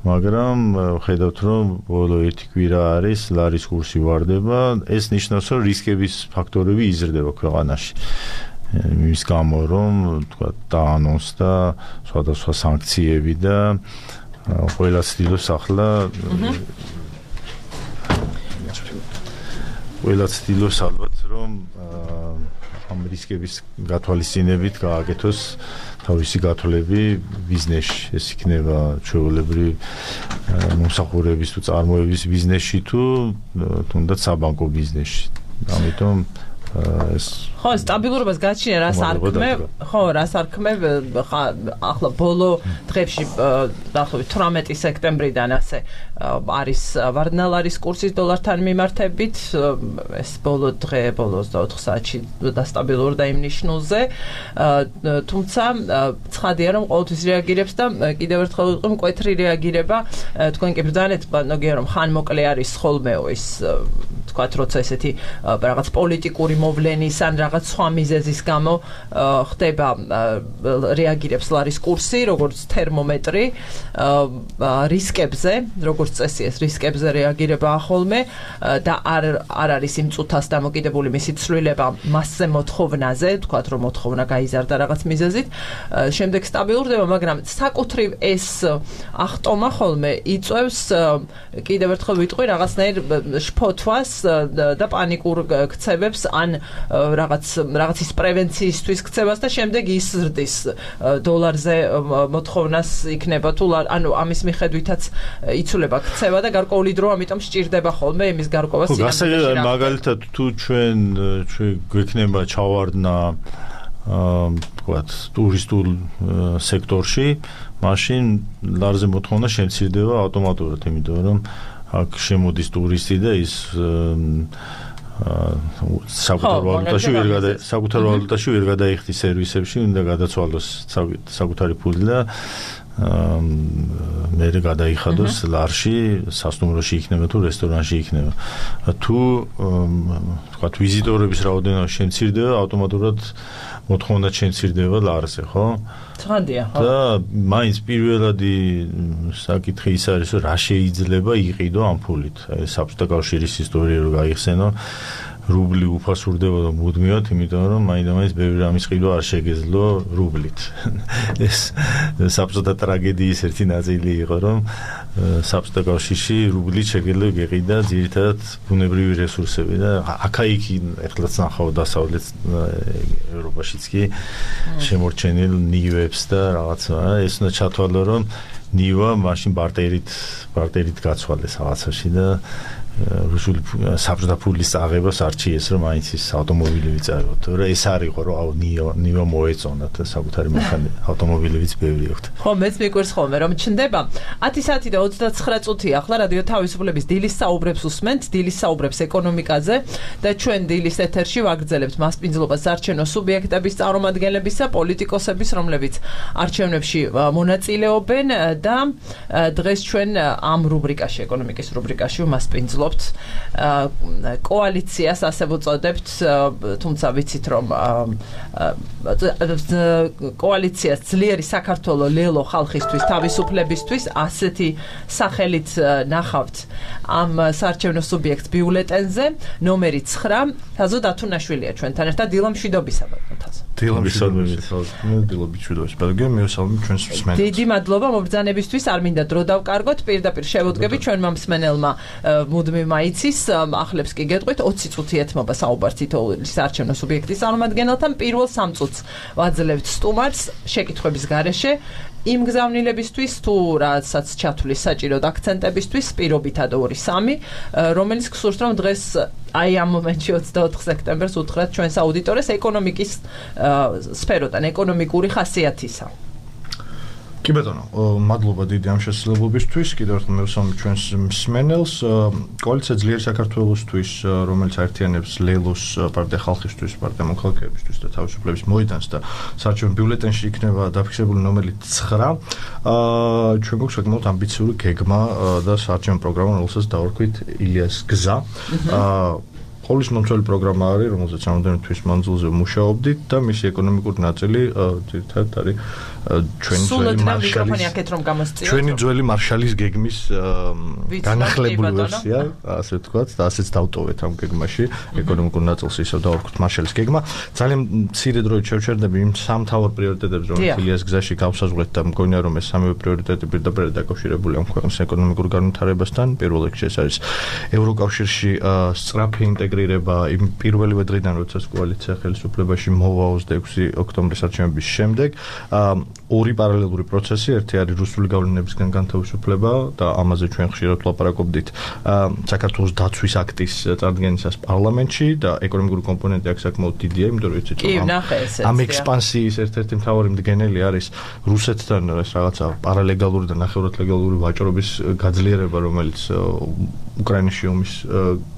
მაგრამ ხედავთ რომ ბოლო ერთი კვირა არის ლარის კურსი ვარდება, ეს ნიშნავს რომ რისკების ფაქტორები იზრდება ქვეყანაში. იმის გამო რომ თქვა დაანონსდა სხვადასხვა სანქციები და ყველა ცდილობს ახლა ყველა ცდილობს ალბათ რომ ამ რისკების გათვალისწინებით გააკეთოს თავისი გათვლები ბიზნესში. ეს იქნება ჩვეულებრივი მომსახურების თუ წარმოების ბიზნესში თუ თუნდაც საბანკო ბიზნესში. ამიტომ ეს ხო, სტაბილურობას გაჩნია, რას არ ქმე, ხო, რას არ ქმე, ახლა ბოლო დღეებში დაახლოებით თვრამეტი სექტემბრიდან ასე არის ვარდნალარის კურსის დოლართან მიმართებით, ეს ბოლო დღე, ბოლო ოცდაოთხ საათში დასტაბილურდა იმ ნიშნულზე, თუმცა ცხადია რომ ყოველთვის რეაგირებს და კიდევ ერთხელ ვიტყვი მკვეთრი რეაგირება, თქვენ კი ბრძანეთ, ნოგია რომ ხანმოკლე არის ხოლმეო ის თქვათ, როცა ესეთი რაღაც პოლიტიკური მოვლენის ან რაღაც სხვა მიზეზის გამო ხდება რეაგირებს ლარის კურსი, როგორც თერმომეტრი რისკებზე, როგორც წესი ეს რისკებზე რეაგირება ხოლმე და არ არ არის იმ წუთას დამოკიდებული მისი ცვლილება მასზე მოთხოვნაზე, თქვათ რომ მოთხოვნა გაიზარდა რაღაც მიზეზით, შემდეგ სტაბილურდება, მაგრამ საკუთრივ ეს ახტომა ხოლმე იწევს კიდევ ერთხელ ვიტყვი რაღაცნაირ შფოთვას და პანიკურ ქცევებს ან რაღაც რაღაცის პრევენციისთვის ქცევას და შემდეგ იზრდის დოლარზე მოთხოვნას იქნება თუ ანუ ამის მიხედვითაც იცვლება ქცევა და გარკვეული დრო ამიტომ სჭირდება ხოლმე იმის გარკვევას სინამდვილეში. გასაგებია მაგალითად თუ ჩვენ ჩვენ გვექნება ჩავარდნა თქვათ ტურისტულ სექტორში, მაშინ ლარზე მოთხოვნა შემცირდება ავტომატურად, იმიტომ რომ აქ შემოდის ტურისტი და ის საკუთარ ვალუტაში ვერ გადა საკუთარ ვალუტაში ვერ გადაიხდის სერვისებში, უნდა გადაცვალოს საკუთარი ფული და მე გადაიხადოს ლარში, სასტუმროში იქნება თუ რესტორანში იქნება. თუ თქვათ ვიზიტორების რაოდენობა შემცირდება, ავტომატურად მოთხოვნა შემცირდება ლარზე, ხო? ცხადია, ხო. და მაინც პირველადი საკითხი ის არის, რომ რა შეიძლება იყიდო ამ ფულით. აი საბჭოთა კავშირის ისტორია რო გაიხსენო, რუბლი უფასურდებოდა მუდმივად, იმიტომ რომ მაინდა-მაინც ბევრი რამის ყიდვა არ შეგეძლო რუბლით. ეს საბჭოთა ტრაგედიის ერთი ნაწილი იყო, რომ საბჭოთა კავშირში რუბლით შეგეძლო გეყიდა ძირითადად ბუნებრივი რესურსები და აქა-იქ ეხლაც ნახავ დასავლეთ ევროპაშიც კი შემორჩენილ ნივებს და რაღაცა, ეს უნდა ჩათვალო, რომ ნივა მაშინ ბარტერით ბარტერით გაცვალეს რაღაცაში და რუსული საბჭოთა ფულის აღებას არჩიეს, რომ მაინც ის ავტომობილები წაიღოთ. რა ეს არ იყო, რომ აუ ნიო ნიო მოეწონათ საკუთარი მანქანა, ავტომობილებიც ბევრი აქვს. ხო, მეც მიგვერს ხოლმე, რომ ჩნდება ათი საათი და ოცდაცხრა წუთი ახლა რადიო თავისუფლების დილის საუბრებს უსმენთ, დილის საუბრებს ეკონომიკაზე და ჩვენ დილის ეთერში ვაგრძელებთ მასპინძლობას საარჩევნო სუბიექტების წარმომადგენლებისა, პოლიტიკოსების, რომლებიც არჩევნებში მონაწილეობენ და დღეს ჩვენ ამ რუბრიკაში, ეკონომიკის რუბრიკაში მასპინძლობთ კოალიციას, ასე ვუწოდებთ, თუმცა ვიცით, რომ კოალიციას ძლიერი საქართველო ლელო ხალხისთვის, თავისუფლებისთვის, ასეთი სახელით ნახავთ ამ საარჩევნო სუბიექტ ბიულეტენზე, ნომერი ცხრა, თაზო დათუნაშვილია ჩვენთან ერთად, დილა მშვიდობისა, ბატონო თაზო. დილა მშვიდობისა, დილა მშვიდობისა, ბატონო, მიესალმებით ჩვენს მსმენელს. დიდი მადლობა მობრძანებისთვის, არ მინდა დრო დავკარგოთ, პირდაპირ შევუდგები ჩვენმა მსმენელმა მუდმივ მაიცის, ახლებს კი გეტყვით, ოცი წუთი ეთმობა საუბარ თითოეული საარჩევნო სუბიექტის წარმომადგენელთან, პირველ სამ წუთს ვაძლევთ სტუმარს შეკითხვების გარეშე, იმ გზავნილებისთვის თუ რასაც ჩათვლის საჭიროდ აქცენტებისთვის, პირობითად ორი სამი, რომელიც გსურთ, რომ დღეს აი ამ მომენტში ოცდაოთხ სექტემბერს უთხრათ ჩვენს აუდიტორეს ეკონომიკის სფეროდან, ეკონომიკური ხასიათისა. კი ბატონო, მადლობა დიდი ამ შესაძლებლობისთვის. კიდევ ერთხელ მევსალმებით ჩვენს მსმენელს. კოალიცია ძლიერი საქართველოსთვის, რომელიც აერთიანებს ლელოს, პარტია ხალხისთვის, პარტია მოქალაქეებისთვის და თავისუფლების მოედანს და საარჩევნო ბიულეტენში იქნება დაფიქსირებული ნომერი ცხრა. ჩვენ გვაქვს საკმაოდ ამბიციური გეგმა და საარჩევნო პროგრამა, რომელსაც დავარქვით ილიას გზა. ყოვლის მომცველი პროგრამა არის, რომელზეც რამდენიმე თვის მანძილზე მუშაობდით და მისი ეკონომიკური ნაწილი ძირითადად არის ჩვენი ძველი მარშალის ჩვენი ძველი მარშალის გეგმის განახლებული ვერსია, ასე ვთქვათ, და ასეც დავტოვეთ ამ გეგმაში ეკონომიკურ ნაწილს ისევ დავარქვით მარშალის გეგმა. ძალიან მცირე დროით შევჩერდები იმ სამ მთავარ პრიორიტეტებს, რომელიც ილიას გზაში გავსაზღვრეთ და მგონია, რომ ეს სამივე პრიორიტეტი პირდაპირ დაკავშირებულია ამ ქვეყნის ეკონომიკურ განვითარებასთან. პირველ რიგში ეს არის ევროკავშირში სწრაფი ინტეგრირება იმ პირველივე დღიდან, როდესაც კოალიცია ხელისუფლებაში მოვა ოცდაექვსი ოქტომბრის არჩევნების შემდეგ. ორი პარალელური პროცესი, ერთი არის რუსული გავლენებისგან განთავისუფლება და ამაზე ჩვენ ხშირად ვლაპარაკობდით საქართველოს დაცვის აქტის წარდგენისას პარლამენტში და ეკონომიკური კომპონენტი აქ საკმაოდ დიდია, იმიტომ რომ იცით, რომ ამ ექსპანსიის ერთ-ერთი მთავარი მდგენელი არის რუსეთთან ეს რაღაცა პარალეგალური და ნახევრად ლეგალური ვაჭრობის გაძლიერება, რომელიც უკრაინის ომის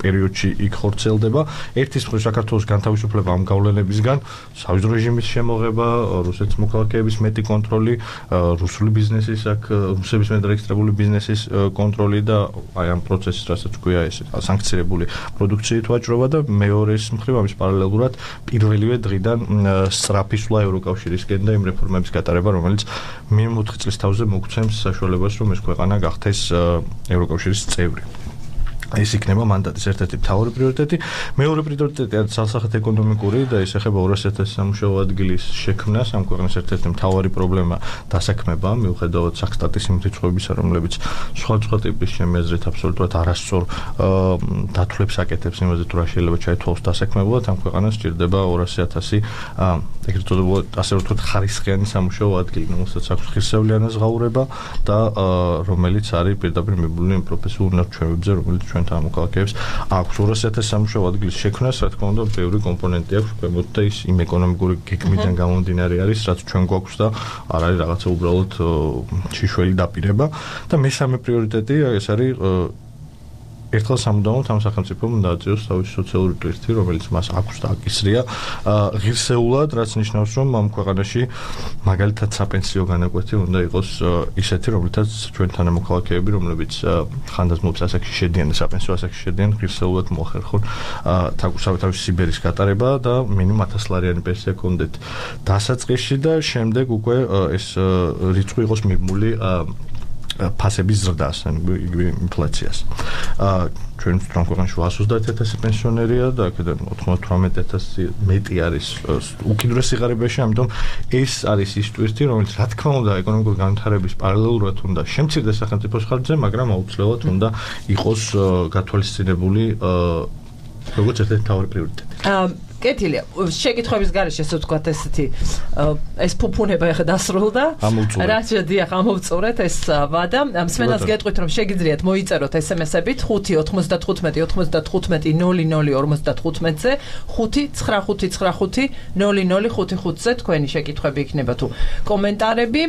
პერიოდში იქ ხორციელდება. ერთის მხრივ საქართველოს განთავისუფლება ამ გავლენებისგან, სავიზრო რეჟიმის შემოღება, რუსეთის მოქალაქეების მეტი კონტროლი, რუსული ბიზნესის აქ რუსების მედრეგისტრირებული ბიზნესის კონტროლი და აი ამ პროცესის, რასაც ქვია ეს სანქცირებული პროდუქციით ვაჭრობა და მეორეს მხრივ ამის პარალელურად პირველივე დღიდან სწრაფი სვლა ევროკავშირისკენ და იმ რეფორმების გატარება, რომელიც მინიმუმ ოთხი წლის თავზე მოგცემს საშუალებას, რომ ეს ქვეყანა გახდეს ევროკავშირის წევრი. ეს იქნება მანდატის ერთ-ერთი მთავარი პრიორიტეტი. მეორე პრიორიტეტი არის სასახეთ ეკონომიკური და ეს ეხება ორასი ათასი სამუშაო ადგილის შექმნას. ამ ქვეყნის ერთ-ერთი მთავარი პრობლემა დასაქმება, მიუხედავად საქსტატის იმ რიცხვებისა, რომლებიც სხვადასხვა ტიპის ჩემი აზრით აბსოლუტურად არასწორ დათვლებს აკეთებს იმაზე, თუ რა შეიძლება ჩაითვალოს დასაქმებულად. ამ ქვეყანას სჭირდება ორასი ათასი ეგრეთ წოდებული, ასე ვთქვათ, ხარისხიანი სამუშაო ადგილი, რომელსაც აქვს ღირსეულიანას ზღაურება და რომელიც არის პირდაპირ მიბმული იმ პროფესიულ ნარჩევებზე, რომელიც ჩვენთან მოქალაქეებს აქვს. ორასი ათასი სამუშაო ადგილის შექმნას, რა თქმა უნდა, ბევრი კომპონენტი აქვს, ქვემოთ და ის იმ ეკონომიკური გეგმიდან გამომდინარე არის, რაც ჩვენ გვაქვს და არ არის რაღაცა უბრალოდ შიშველი დაპირება. და მესამე პრიორიტეტი ეს არის ერთხელ სამუდამოდ ამ სახელმწიფომ დააწიოს თავისი სოციალური ტვირთი, რომელიც მას აქვს და აკისრია ღირსეულად, რაც ნიშნავს, რომ ამ ქვეყანაში მაგალითად საპენსიო განაკვეთი უნდა იყოს ისეთი, რომლითაც ჩვენთან მოქალაქეები, რომლებიც ხანდაზმულობს ასაკში შედიან და საპენსიო ასაკში შედიან, ღირსეულად მოახერხონ თავისი სიბერის გატარება და მინიმუმ ათასლარიანი პენსია კონდეთ დასაწყისში და შემდეგ უკვე ეს რიცხვი იყოს მიბმული ფასების ზრდას, იგივე ინფლაციას. ჩვენ ვთქვით, ქვეყანაში ოცდაათი ათასი პენსიონერია და აქედან ოცდათვრამეტი ათასი მეტი არის უკიდურეს სიღარიბეში, ამიტომ ეს არის ის ტვირთი, რომელიც რა თქმა უნდა ეკონომიკური განვითარების პარალელურად უნდა შემცირდეს სახელმწიფოს ხარჯზე, მაგრამ აუცილებლად უნდა იყოს გათვალისწინებული როგორც ერთ-ერთი მთავარი პრიორიტეტი. კეთილია. შეკითხვების გარეშე ესე ვთქვათ ესეთი ეს ფუფუნება ახლა დასრულდა. რაც დიახ ამოვწურეთ ეს ვადა. მსმენელს გეტყვით რომ შეგიძლიათ მოიწეროთ ესემესებით ხუთი ოთხმოცდათხუთმეტი ოთხმოცდათხუთმეტი ნული ნული ორმოცდათხუთმეტზე ხუთი ცხრა ხუთი ცხრა ხუთი ნული ნული ხუთი ხუთზე თქვენი შეკითხვები იქნება თუ კომენტარები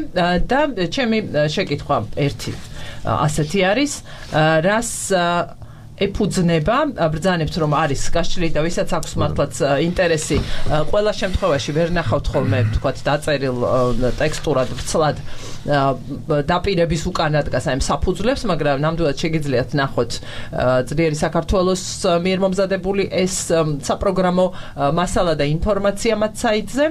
და ჩემი შეკითხვა ერთი ასეთი არის რას ეფუძნება ბრძანებთ რომ არის გაშლილი და ვისაც აქვს მართლაც ინტერესი ყველა შემთხვევაში ვერ ნახავთ ხოლმე თქვათ დაწერილ ტექსტურად ვრცლად დაპირების უკანა დგას აი საფუძვლებს მაგრამ ნამდვილად შეგიძლიათ ნახოთ ძლიერი საქართველოს მიერ მომზადებული ეს საპროგრამო მასალა და ინფორმაცია მათ საიტზე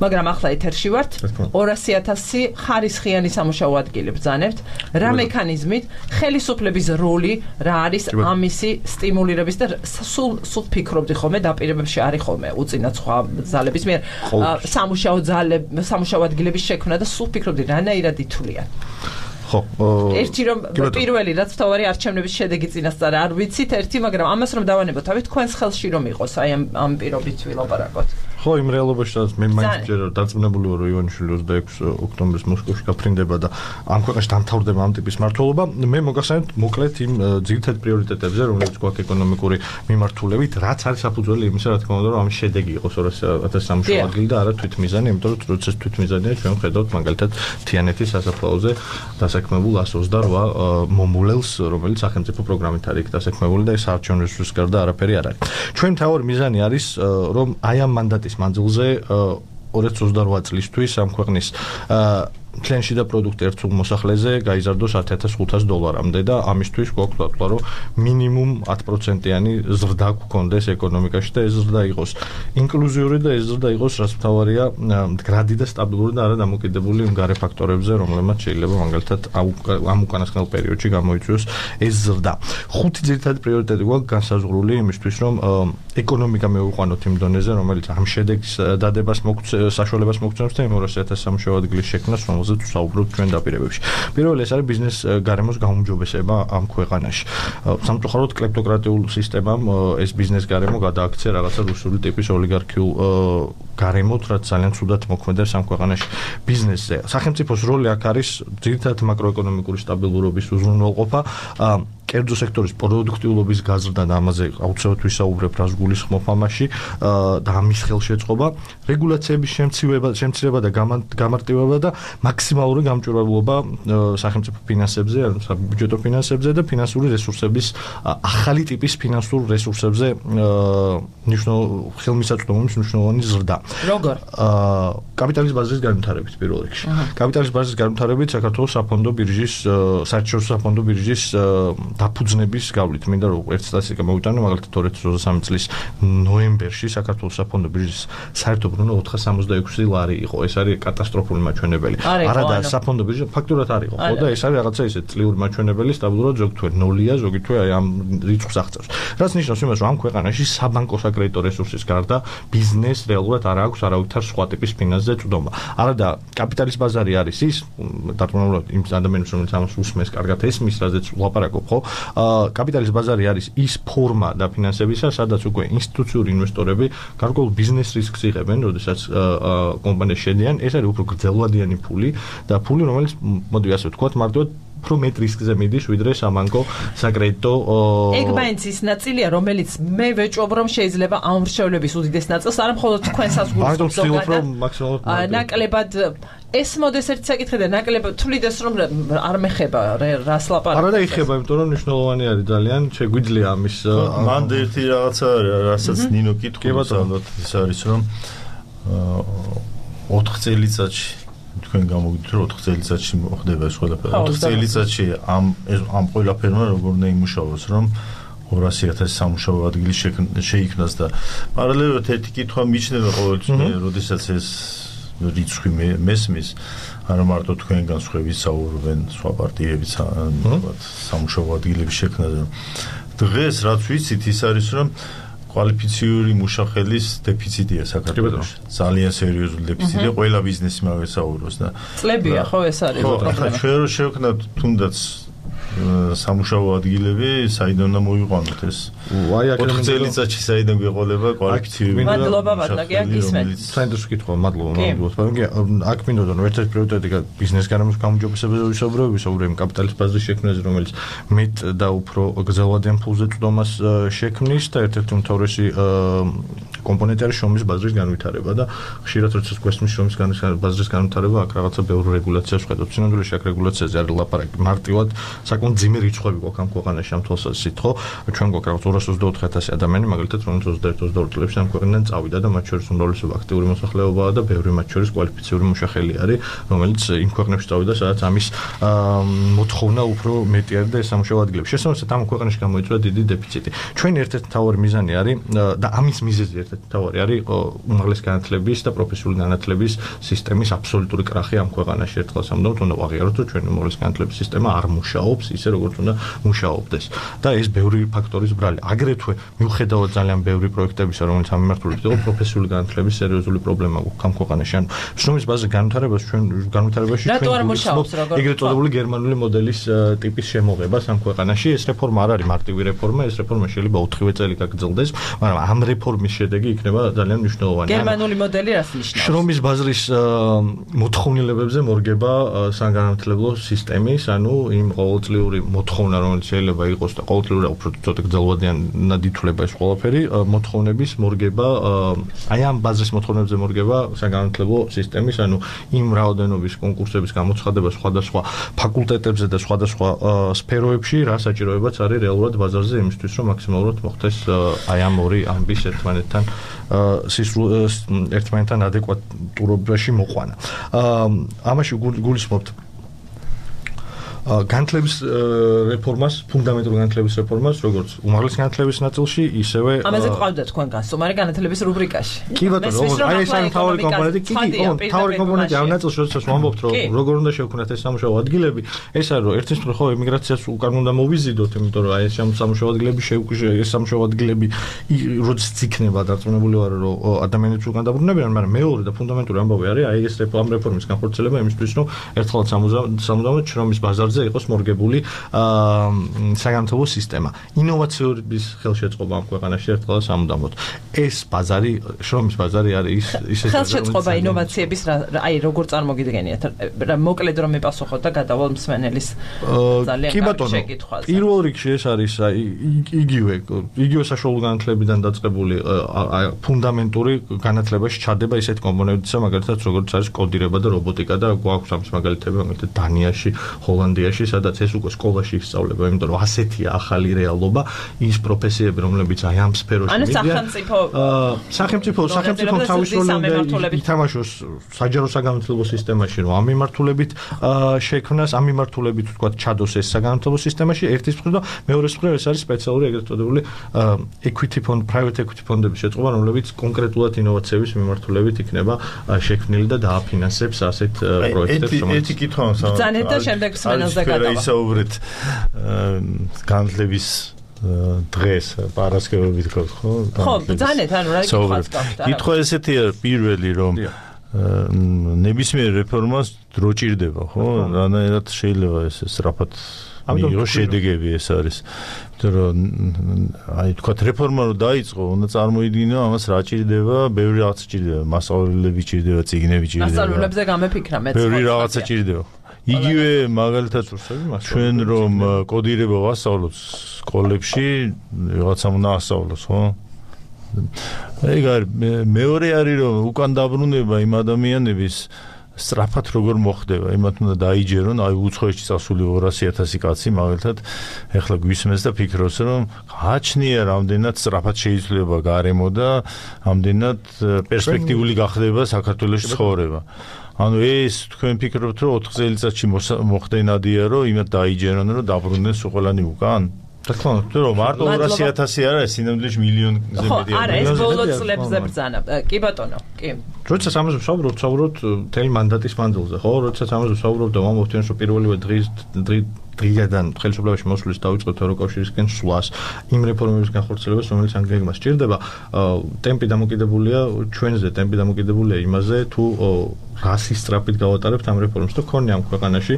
მაგრამ ახლა ეთერში ვართ ორასი ათასი ხარისხიანი სამუშაო ადგილი ბრძანებთ რა მექანიზმით ხელისუფლების როლი რა არის ამისი სტიმულირების და სულ სულ ფიქრობდი ხოლმე დაპირებებში არის ხოლმე უწინათ სხვა ძალების მიერ სამუშაო ძალები სამუშაო ადგილების შექმნა და სულ ფიქრობდი რანაირად ითვლიან ხო ერთი რომ პირველი რაც თავარი არჩევნების შედეგი წინასწარ არ ვიცით ერთი მაგრამ ამას რომ დავანებოთ თავი თქვენს ხელში რომ იყოს აი ამ ამ პირობით ვილაპარაკოთ ხო იმ რეალობაშიც მე მაინც ჯერ დარწმუნებული ვარ რომ ივანიშვილი ოცდაექვსი ოქტომბრის მოსკოვში გაფრინდება და ამ ქვეყანაში დამთავრდება ამ ტიპის მმართველობა მე მოგახსენებთ მოკლედ იმ ძირითად პრიორიტეტებზე რომელიც გვაქვს ეკონომიკური მიმართულებით რაც არის საფუძველი იმისა რა თქმა უნდა რომ ამ შედეგი იყოს ორასი ათასი სამუშაო ადგილი და არა თვითმიზანი იმიტომ რომ როდესაც თვითმიზანია ჩვენ ვხედავთ მაგალითად თიანეთის სასაფლაოზე დასაქმებულ εκατს ოცდარვა მომულელს რომელიც სახელმწიფო პროგრამით არის დასაქმებული და ეს არჩევნების გარდა არაფერი არ არის ჩვენ თავი მიზანი არის რომ აი ამ მანდატის მანძილზე ორასი ოცდარვა წლისთვის ამ ქვეყნის მთლიანში და პროდუქტი ერთ სულ მოსახლეზე გაიზარდოს ათი ათას ხუთას დოლარამდე და ამისთვის გვაქვს ვთქვა რომ მინიმუმ ათი პროცენტიანი ზრდა გქონდეს ეკონომიკაში და ეს ზრდა იყოს ინკლუზიური და ეს ზრდა იყოს რაც მთავარია მდგრადი და სტაბილური და არა დამოკიდებული იმ გარე ფაქტორებზე რომლებმაც შეიძლება მაგალითად ამ უკანასკნელ პერიოდში გამოიწვიოს ეს ზრდა ხუთი ძირითადი პრიორიტეტი გვაქვს განსაზღვრული იმისთვის რომ ეკონომიკა მოვიყვანოთ იმ დონეზე რომელიც ამ შედეგის დადებას საშუალებას მოგცემს და იმ ორასი ათასი სამუშაო ადგილის შექმნას რომელზეც ვსაუბრობთ ჩვენ დაპირებებში. პირველი ეს არის ბიზნეს გარემოს გაუმჯობესება ამ ქვეყანაში. სამწუხაროდ კლეპტოკრატიულ სისტემამ ეს ბიზნეს გარემო გადააქცია რაღაცა რუსული ტიპის ოლიგარქიულ გარემოთ, რაც ძალიან ცუდად მოქმედებს ამ ქვეყანაში ბიზნესზე. სახელმწიფოს როლი აქ არის ძირითადად მაკროეკონომიკური სტაბილურობის უზრუნველყოფა, კერძო სექტორის პროდუქტიულობის გაზრდა და ამაზე აუცილებლად ვისაუბრებ რას გულისხმობ ამაში და ამის ხელშეწყობა, რეგულაციების შემცირება, შემცირება და გამარტივება და მაქსიმალური გამჭვირვალობა სახელმწიფო ფინანსებზე, საბიუჯეტო ფინანსებზე და ფინანსური რესურსების ახალი ტიპის ფინანსურ რესურსებზე ნიშნულ ხელმისაწვდომობის მნიშვნელოვანი ზრდა. როგორ? კაპიტალის ბაზრის განვითარებით პირველ რიგში. კაპიტალის ბაზრის განვითარებით საქართველოს საფონდო ბირჟის საერთაშორისო საფონდო ბირჟის დაფუძნების გავლით. მინდა რომ ერთ სტატისტიკა მოვიტანო, მაგალითად ორი ათი ოცდაოთხი წლის ნოემბერში საქართველოს საფონდო ბირჟის საერთო ბრუნვა ოთხას სამოცდაექვსი ლარი იყო. ეს არის კატასტროფული მაჩვენებელი. არა და საფონდო ბირჟა ფაქტურად არ იყო, ხო და ეს არის რაღაცა ისე წლიური მაჩვენებელი, სტაბილურად ზოგი თვე ნულია, ზოგი თვე აი ამ რიცხვს აღწევს. რაც ნიშნავს იმას, რომ ამ ქვეყანაში საბანკო საკრედიტო რესურსის გარდა ბიზნეს რეალურად არ აქვს არავითარ სხვა ტიპის ფინანსზე წვდომა. არა და კაპიტალის ბაზარი არის ის, დარწმუნებულად იმ ადამიანებს, რომელიც ამას უსმენს, კარგად ესმის, რაზეც ვლაპარაკობ, ხო? კაპიტალის ბაზარი არის ის ფორმა დაფინანსებისა, სადაც უკვე ინსტიტუციური ინვესტორები გარკვეულ ბიზნეს რისკს იღებენ, როდესაც კომპანიაში შედიან. ეს არის უფრო გრძელვადიანი ფული და ფული, რომელიც მოდი ასე ვთქვათ, მარტივად უფრო მეტ რისკზე მიდის, ვიდრე საბანკო საკრედიტო ეგ მაინც ის ნაწილია, რომელიც მე ვეჭვობ, რომ შეიძლება ამ მრჩევლების უდიდეს ნაწილს არა მხოლოდ თქვენსაც გულისხმობს, ზოგადად ნაკლებად ეს მოდეს ერთ საკითხი და ნაკლებად თვლიდეს, რომ არ მეხება რას ლაპარაკობს. არა და იხება, იმიტომ რომ მნიშვნელოვანი არის ძალიან, შეგვიძლია ამის მან ერთი რაღაცა, რასაც ნინო კითხულობს, ალბათ ის არის, რომ ოთხ წელიწადში თქვენ გამოგიდეთ რომ ოთხ წელიწადში მოხდება ეს ყველაფერი. ოთხ წელიწადში ამ ამ ყველაფერმა როგორ უნდა იმუშაოს, რომ ორასი ათასი სამუშაო ადგილი შეიქმნას და პარალელურად ერთი კითხვა მიჩნდება ყოველთვის, როდესაც ეს რიცხვი მესმის, არა მარტო თქვენგან სხვები საუბრობენ, სხვა პარტიებიც სამუშაო ადგილების შექმნაზე. დღეს რაც ვიცით ის არის, რომ კვალიფიციური მუშახელის დეფიციტია საქართველოში. ძალიან სერიოზული დეფიციტია, ყველა ბიზნესი მაგას საუბრობს და წლებია ხო ეს არის პრობლემა. ჩვენ რო შევქნათ თუნდაც სამუშაო ადგილები საიდან უნდა მოიყვანოთ ეს? აი აქედან ოთხ წელიწადში საიდან გვეყოლება კვალიფიცირებული? მადლობა ბატონო, გისმენთ. საერთოდ კითხვა, მადლობა, მადლობა. აქ მინდოდა რომ ერთ-ერთი პრიორიტეტი ბიზნეს გარემოს გამოჯობესებაზე ვისაუბრებთ, ვისაუბრებთ კაპიტალის ბაზრის შექმნაზე, რომელიც მეტ და უფრო გრძელვადიან ფულზე წვდომას შექმნის და ერთ-ერთი უმთავრესი კომპონენტი არის შრომის ბაზრის განვითარება და ხშირად როდესაც გვესმის შრომის ბაზრის განვითარება, აქ რაღაცა ბევრი რეგულაციას ვხედავთ. სინამდვილეში აქ რეგულაციაზე არის ლაპარაკი მარტივად საკმაოდ ძიმე რიცხვები გვაქვს ამ ქვეყანაში ამ თვალსაზრისით, ხო? ჩვენ გვაქვს რაღაც ორას ოცდაოთხი ათასი ადამიანი, მაგალითად, რომელიც ოცდაერთი ოცდაორი წლებში ამ ქვეყნიდან წავიდა და მათ შორის უმრავლესობა აქტიური მოსახლეობაა და ბევრი მათ შორის კვალიფიციური მუშახელი არის, რომელიც იმ ქვეყნებში წავიდა, სადაც ამის მოთხოვნა უფრო მეტი არის და ეს სამუშაო ადგილები. შესაბამისად, ამ ქვეყნებში გამოიწვია დიდი დეფიციტი. ჩვენი ერთ-ერთი მთავარი მიზანი არის და ამის მიზეზი ერთ-ერთი მთავარი არის უმაღლესი განათლების და პროფესიული განათლების სისტემის აბსოლუტური კრახი ამ ქვეყანაში. ერთხელ სამუდამოდ უნდა ვაღიაროთ, რომ ჩვენი უმაღლესი განათლების სისტემა არ მუშაობს ისე, როგორც უნდა მუშაობდეს. და ეს ბევრი ფაქტორის ბრალი. აგრეთვე მიუხედავად ძალიან ბევრი პროექტებისა, რომელიც ამ მიმართულებით იყო, პროფესიული განათლების სერიოზული პრობლემა გვაქვს ამ ქვეყანაში. ანუ შრომის ბაზრის განვითარებას ჩვენ განვითარებაში ჩვენ ეგრეთ წოდებული გერმანული მოდელის ტიპის შემოღებას ამ ქვეყანაში. ეს რეფორმა არ არის მარტივი რეფორმა, ეს რეფორმა შეიძლება ოთხივე წელი გაგრძელდეს, მაგრამ ამ რეფორმის შედეგი იქნება ძალიან მნიშვნელოვანი. გერმანული მოდელი რას ნიშნავს? შრომის ბაზრის მოთხოვნილებებზე მორგება საგანმანათლებლო სისტემის, ანუ იმ ყოველწლიური მოთხოვნა, რომელიც შეიძლება იყოს და ყოველწლიური უფრო ცოტა გრძელვადიანად ითვლება ეს ყველაფერი, მოთხოვნების მორგება, აი ამ ბაზრის მოთხოვნებზე მორგება საგანმანათლებლო სისტემის, ანუ იმ რაოდენობის კონკურსების გამოცხადება სხვადასხვა ფაკულტეტებზე და სხვადასხვა სფეროებში, რა საჭიროებაც არის რეალურად ბაზარზე იმისთვის, რომ მაქსიმალურად მოხდეს აი ამ ორი ამბის ერთმანეთთან ერთმანეთთან ადეკვატურობაში მოყვანა. ამაში გულისხმობთ განათლების რეფორმას, ფუნდამენტური განათლების რეფორმას, როგორც უმაღლესი განათლების ნაწილში, ისევე ამაზე ყავდა თქვენ გასწომარი განათლების რუბრიკაში. კი ბატონო, აი ეს არის მთავარი კომპონენტი. კი, კი, მთავარი კომპონენტი ამ ნაწილში, როდესაც ვამბობთ, რომ როგორ უნდა შევქმნათ ეს სამუშაო ადგილები, ეს არის რომ ერთის მხრივ ხო ემიგრაციას უკან უნდა მოვიზიდოთ, იმიტომ რომ აი ეს სამუშაო ადგილები შეუქმნათ, ეს სამუშაო ადგილები როდესაც იქნება დარწმუნებული ვარ, რომ ადამიანებს უკან დაბრუნებიან, მაგრამ მეორე და ფუნდამენტური ამბავი არის აი ეს ამ რეფორმის განხორციელება იმისთვის, რომ ერთხელ სამუდამოდ შრომის ბაზარზე იყოს მორგებული საგანმანათლებლო სისტემა. ინოვაციების ხელშეწყობა ამ ქვეყანაში ერთხელ სამუდამოდ. ეს ბაზარი, შრომის ბაზარი არის ის ის ხელშეწყობა ინოვაციების აი როგორ წარმოგიდგენიათ? მოკლედ რომ მიპასუხოთ და გადავალ მსმენელის ძალიან შეკითხვაზე. პირველ რიგში ეს არის აი იგივე იგივე საშუალო განათლებიდან დაწყებული ფუნდამენტური განათლებაში ჩადება ისეთ კომპონენტებისა, მაგალითად როგორც არის კოდირება და რობოტიკა და გვაქვს ამის მაგალითები, მაგალითად დანიაში, ჰოლანდიაში, სადაც ეს უკვე სკოლაში ისწავლება, იმიტომ რომ ასეთია ახალი რეალობა, ის პროფესიები, რომლებიც აი ამ სფეროში მიდიან. ანუ სახელმწიფო სახელმწიფო სახელმწიფო თავისუფლად ითამაშოს საჯარო საგანმანათლებლო სისტემაში, რომ ამ მიმართულებით შექმნას, ამ მიმართულებით ვთქვათ, ჩადოს ეს საგანმანათლებლო სისტემაში, ერთის მხრივ და მეორეს მხრივ ეს არის სპეციალური ეგრეთ წოდებული equity fund, private equity fund-ების შეწყობა, რომლებიც კონკრეტულად ინოვაციების მიმართულებით იქნება შექმნილი და დააფინანსებს ასეთ პროექტებს, რომელიც ერთი კითხვა მაქვს. ბრძანეთ და შემდეგ მსმენელს და გადავა. ისაუბრეთ განათლების დღეს პარასკევებით გქონთ, ხო? ხო, ბრძანეთ, ანუ რა კითხვაც გაქვთ? კითხვა ესეთი არის პირველი, რომ ნებისმიერ რეფორმას დრო ჭირდება, ხო? რანაირად შეიძლება ეს სწრაფად მიიღოს შედეგები, ეს არის. იმიტომ რომ აი თქვა რეფორმა რო დაიწყო, უნდა წარმოიდგინო ამას რა ჭირდება, ბევრი რაღაცა ჭირდება, მასწავლებლები ჭირდება, წიგნები ჭირდება. მასწავლებლებზე გამეფიქრა მეც. ბევრი რაღაცა ჭირდება. იგივე მაგალითად ჩვენ რომ კოდირება ვასწავლოთ სკოლებში, რაღაცა უნდა ასწავლოს, ხო? ეგ არის მეორე არის რომ უკან დაბრუნება იმ ადამიანების სწრაფად როგორ მოხდება, იმათ უნდა დაიჯერონ, აი უცხოეთში წასული ორასი ათასი კაცი მაგალითად ეხლა გვისმენს და ფიქრობს რომ გააჩნია რამდენად სწრაფად შეიძლება გარემო და რამდენად პერსპექტიული გახდება საქართველოს ცხოვრება. ანუ ეს თქვენ ფიქრობთ რომ ოთხ წელიწადში მოხდენადია რომ იმათ დაიჯერონ რომ დაბრუნდნენ ყველანი უკან? რა თქმა უნდა, რომ მარტო ორასი ათასი არა, სინამდვილეში მილიონზე მეტია. ხო, არა, ეს ბოლო წლებზე ბრძანა. კი ბატონო, კი. როდესაც ამაზე ვსაუბრობთ, ვსაუბრობთ მთელი მანდატის მანძილზე, ხო? როდესაც ამაზე ვსაუბრობთ და ვამბობთ, რომ პირველივე დღის დღიდან ხელისუფლებაში მოსვლის დაიწყოთ ევროკავშირისკენ სვლას, იმ რეფორმების განხორციელებას, რომელიც ანგლიელმა სჭირდება, ტემპი დამოკიდებულია ჩვენზე, ტემპი დამოკიდებულია იმაზე, თუ რასის სწრაფით გავატარებთ ამ რეფორმებს და ქონია ამ ქვეყანაში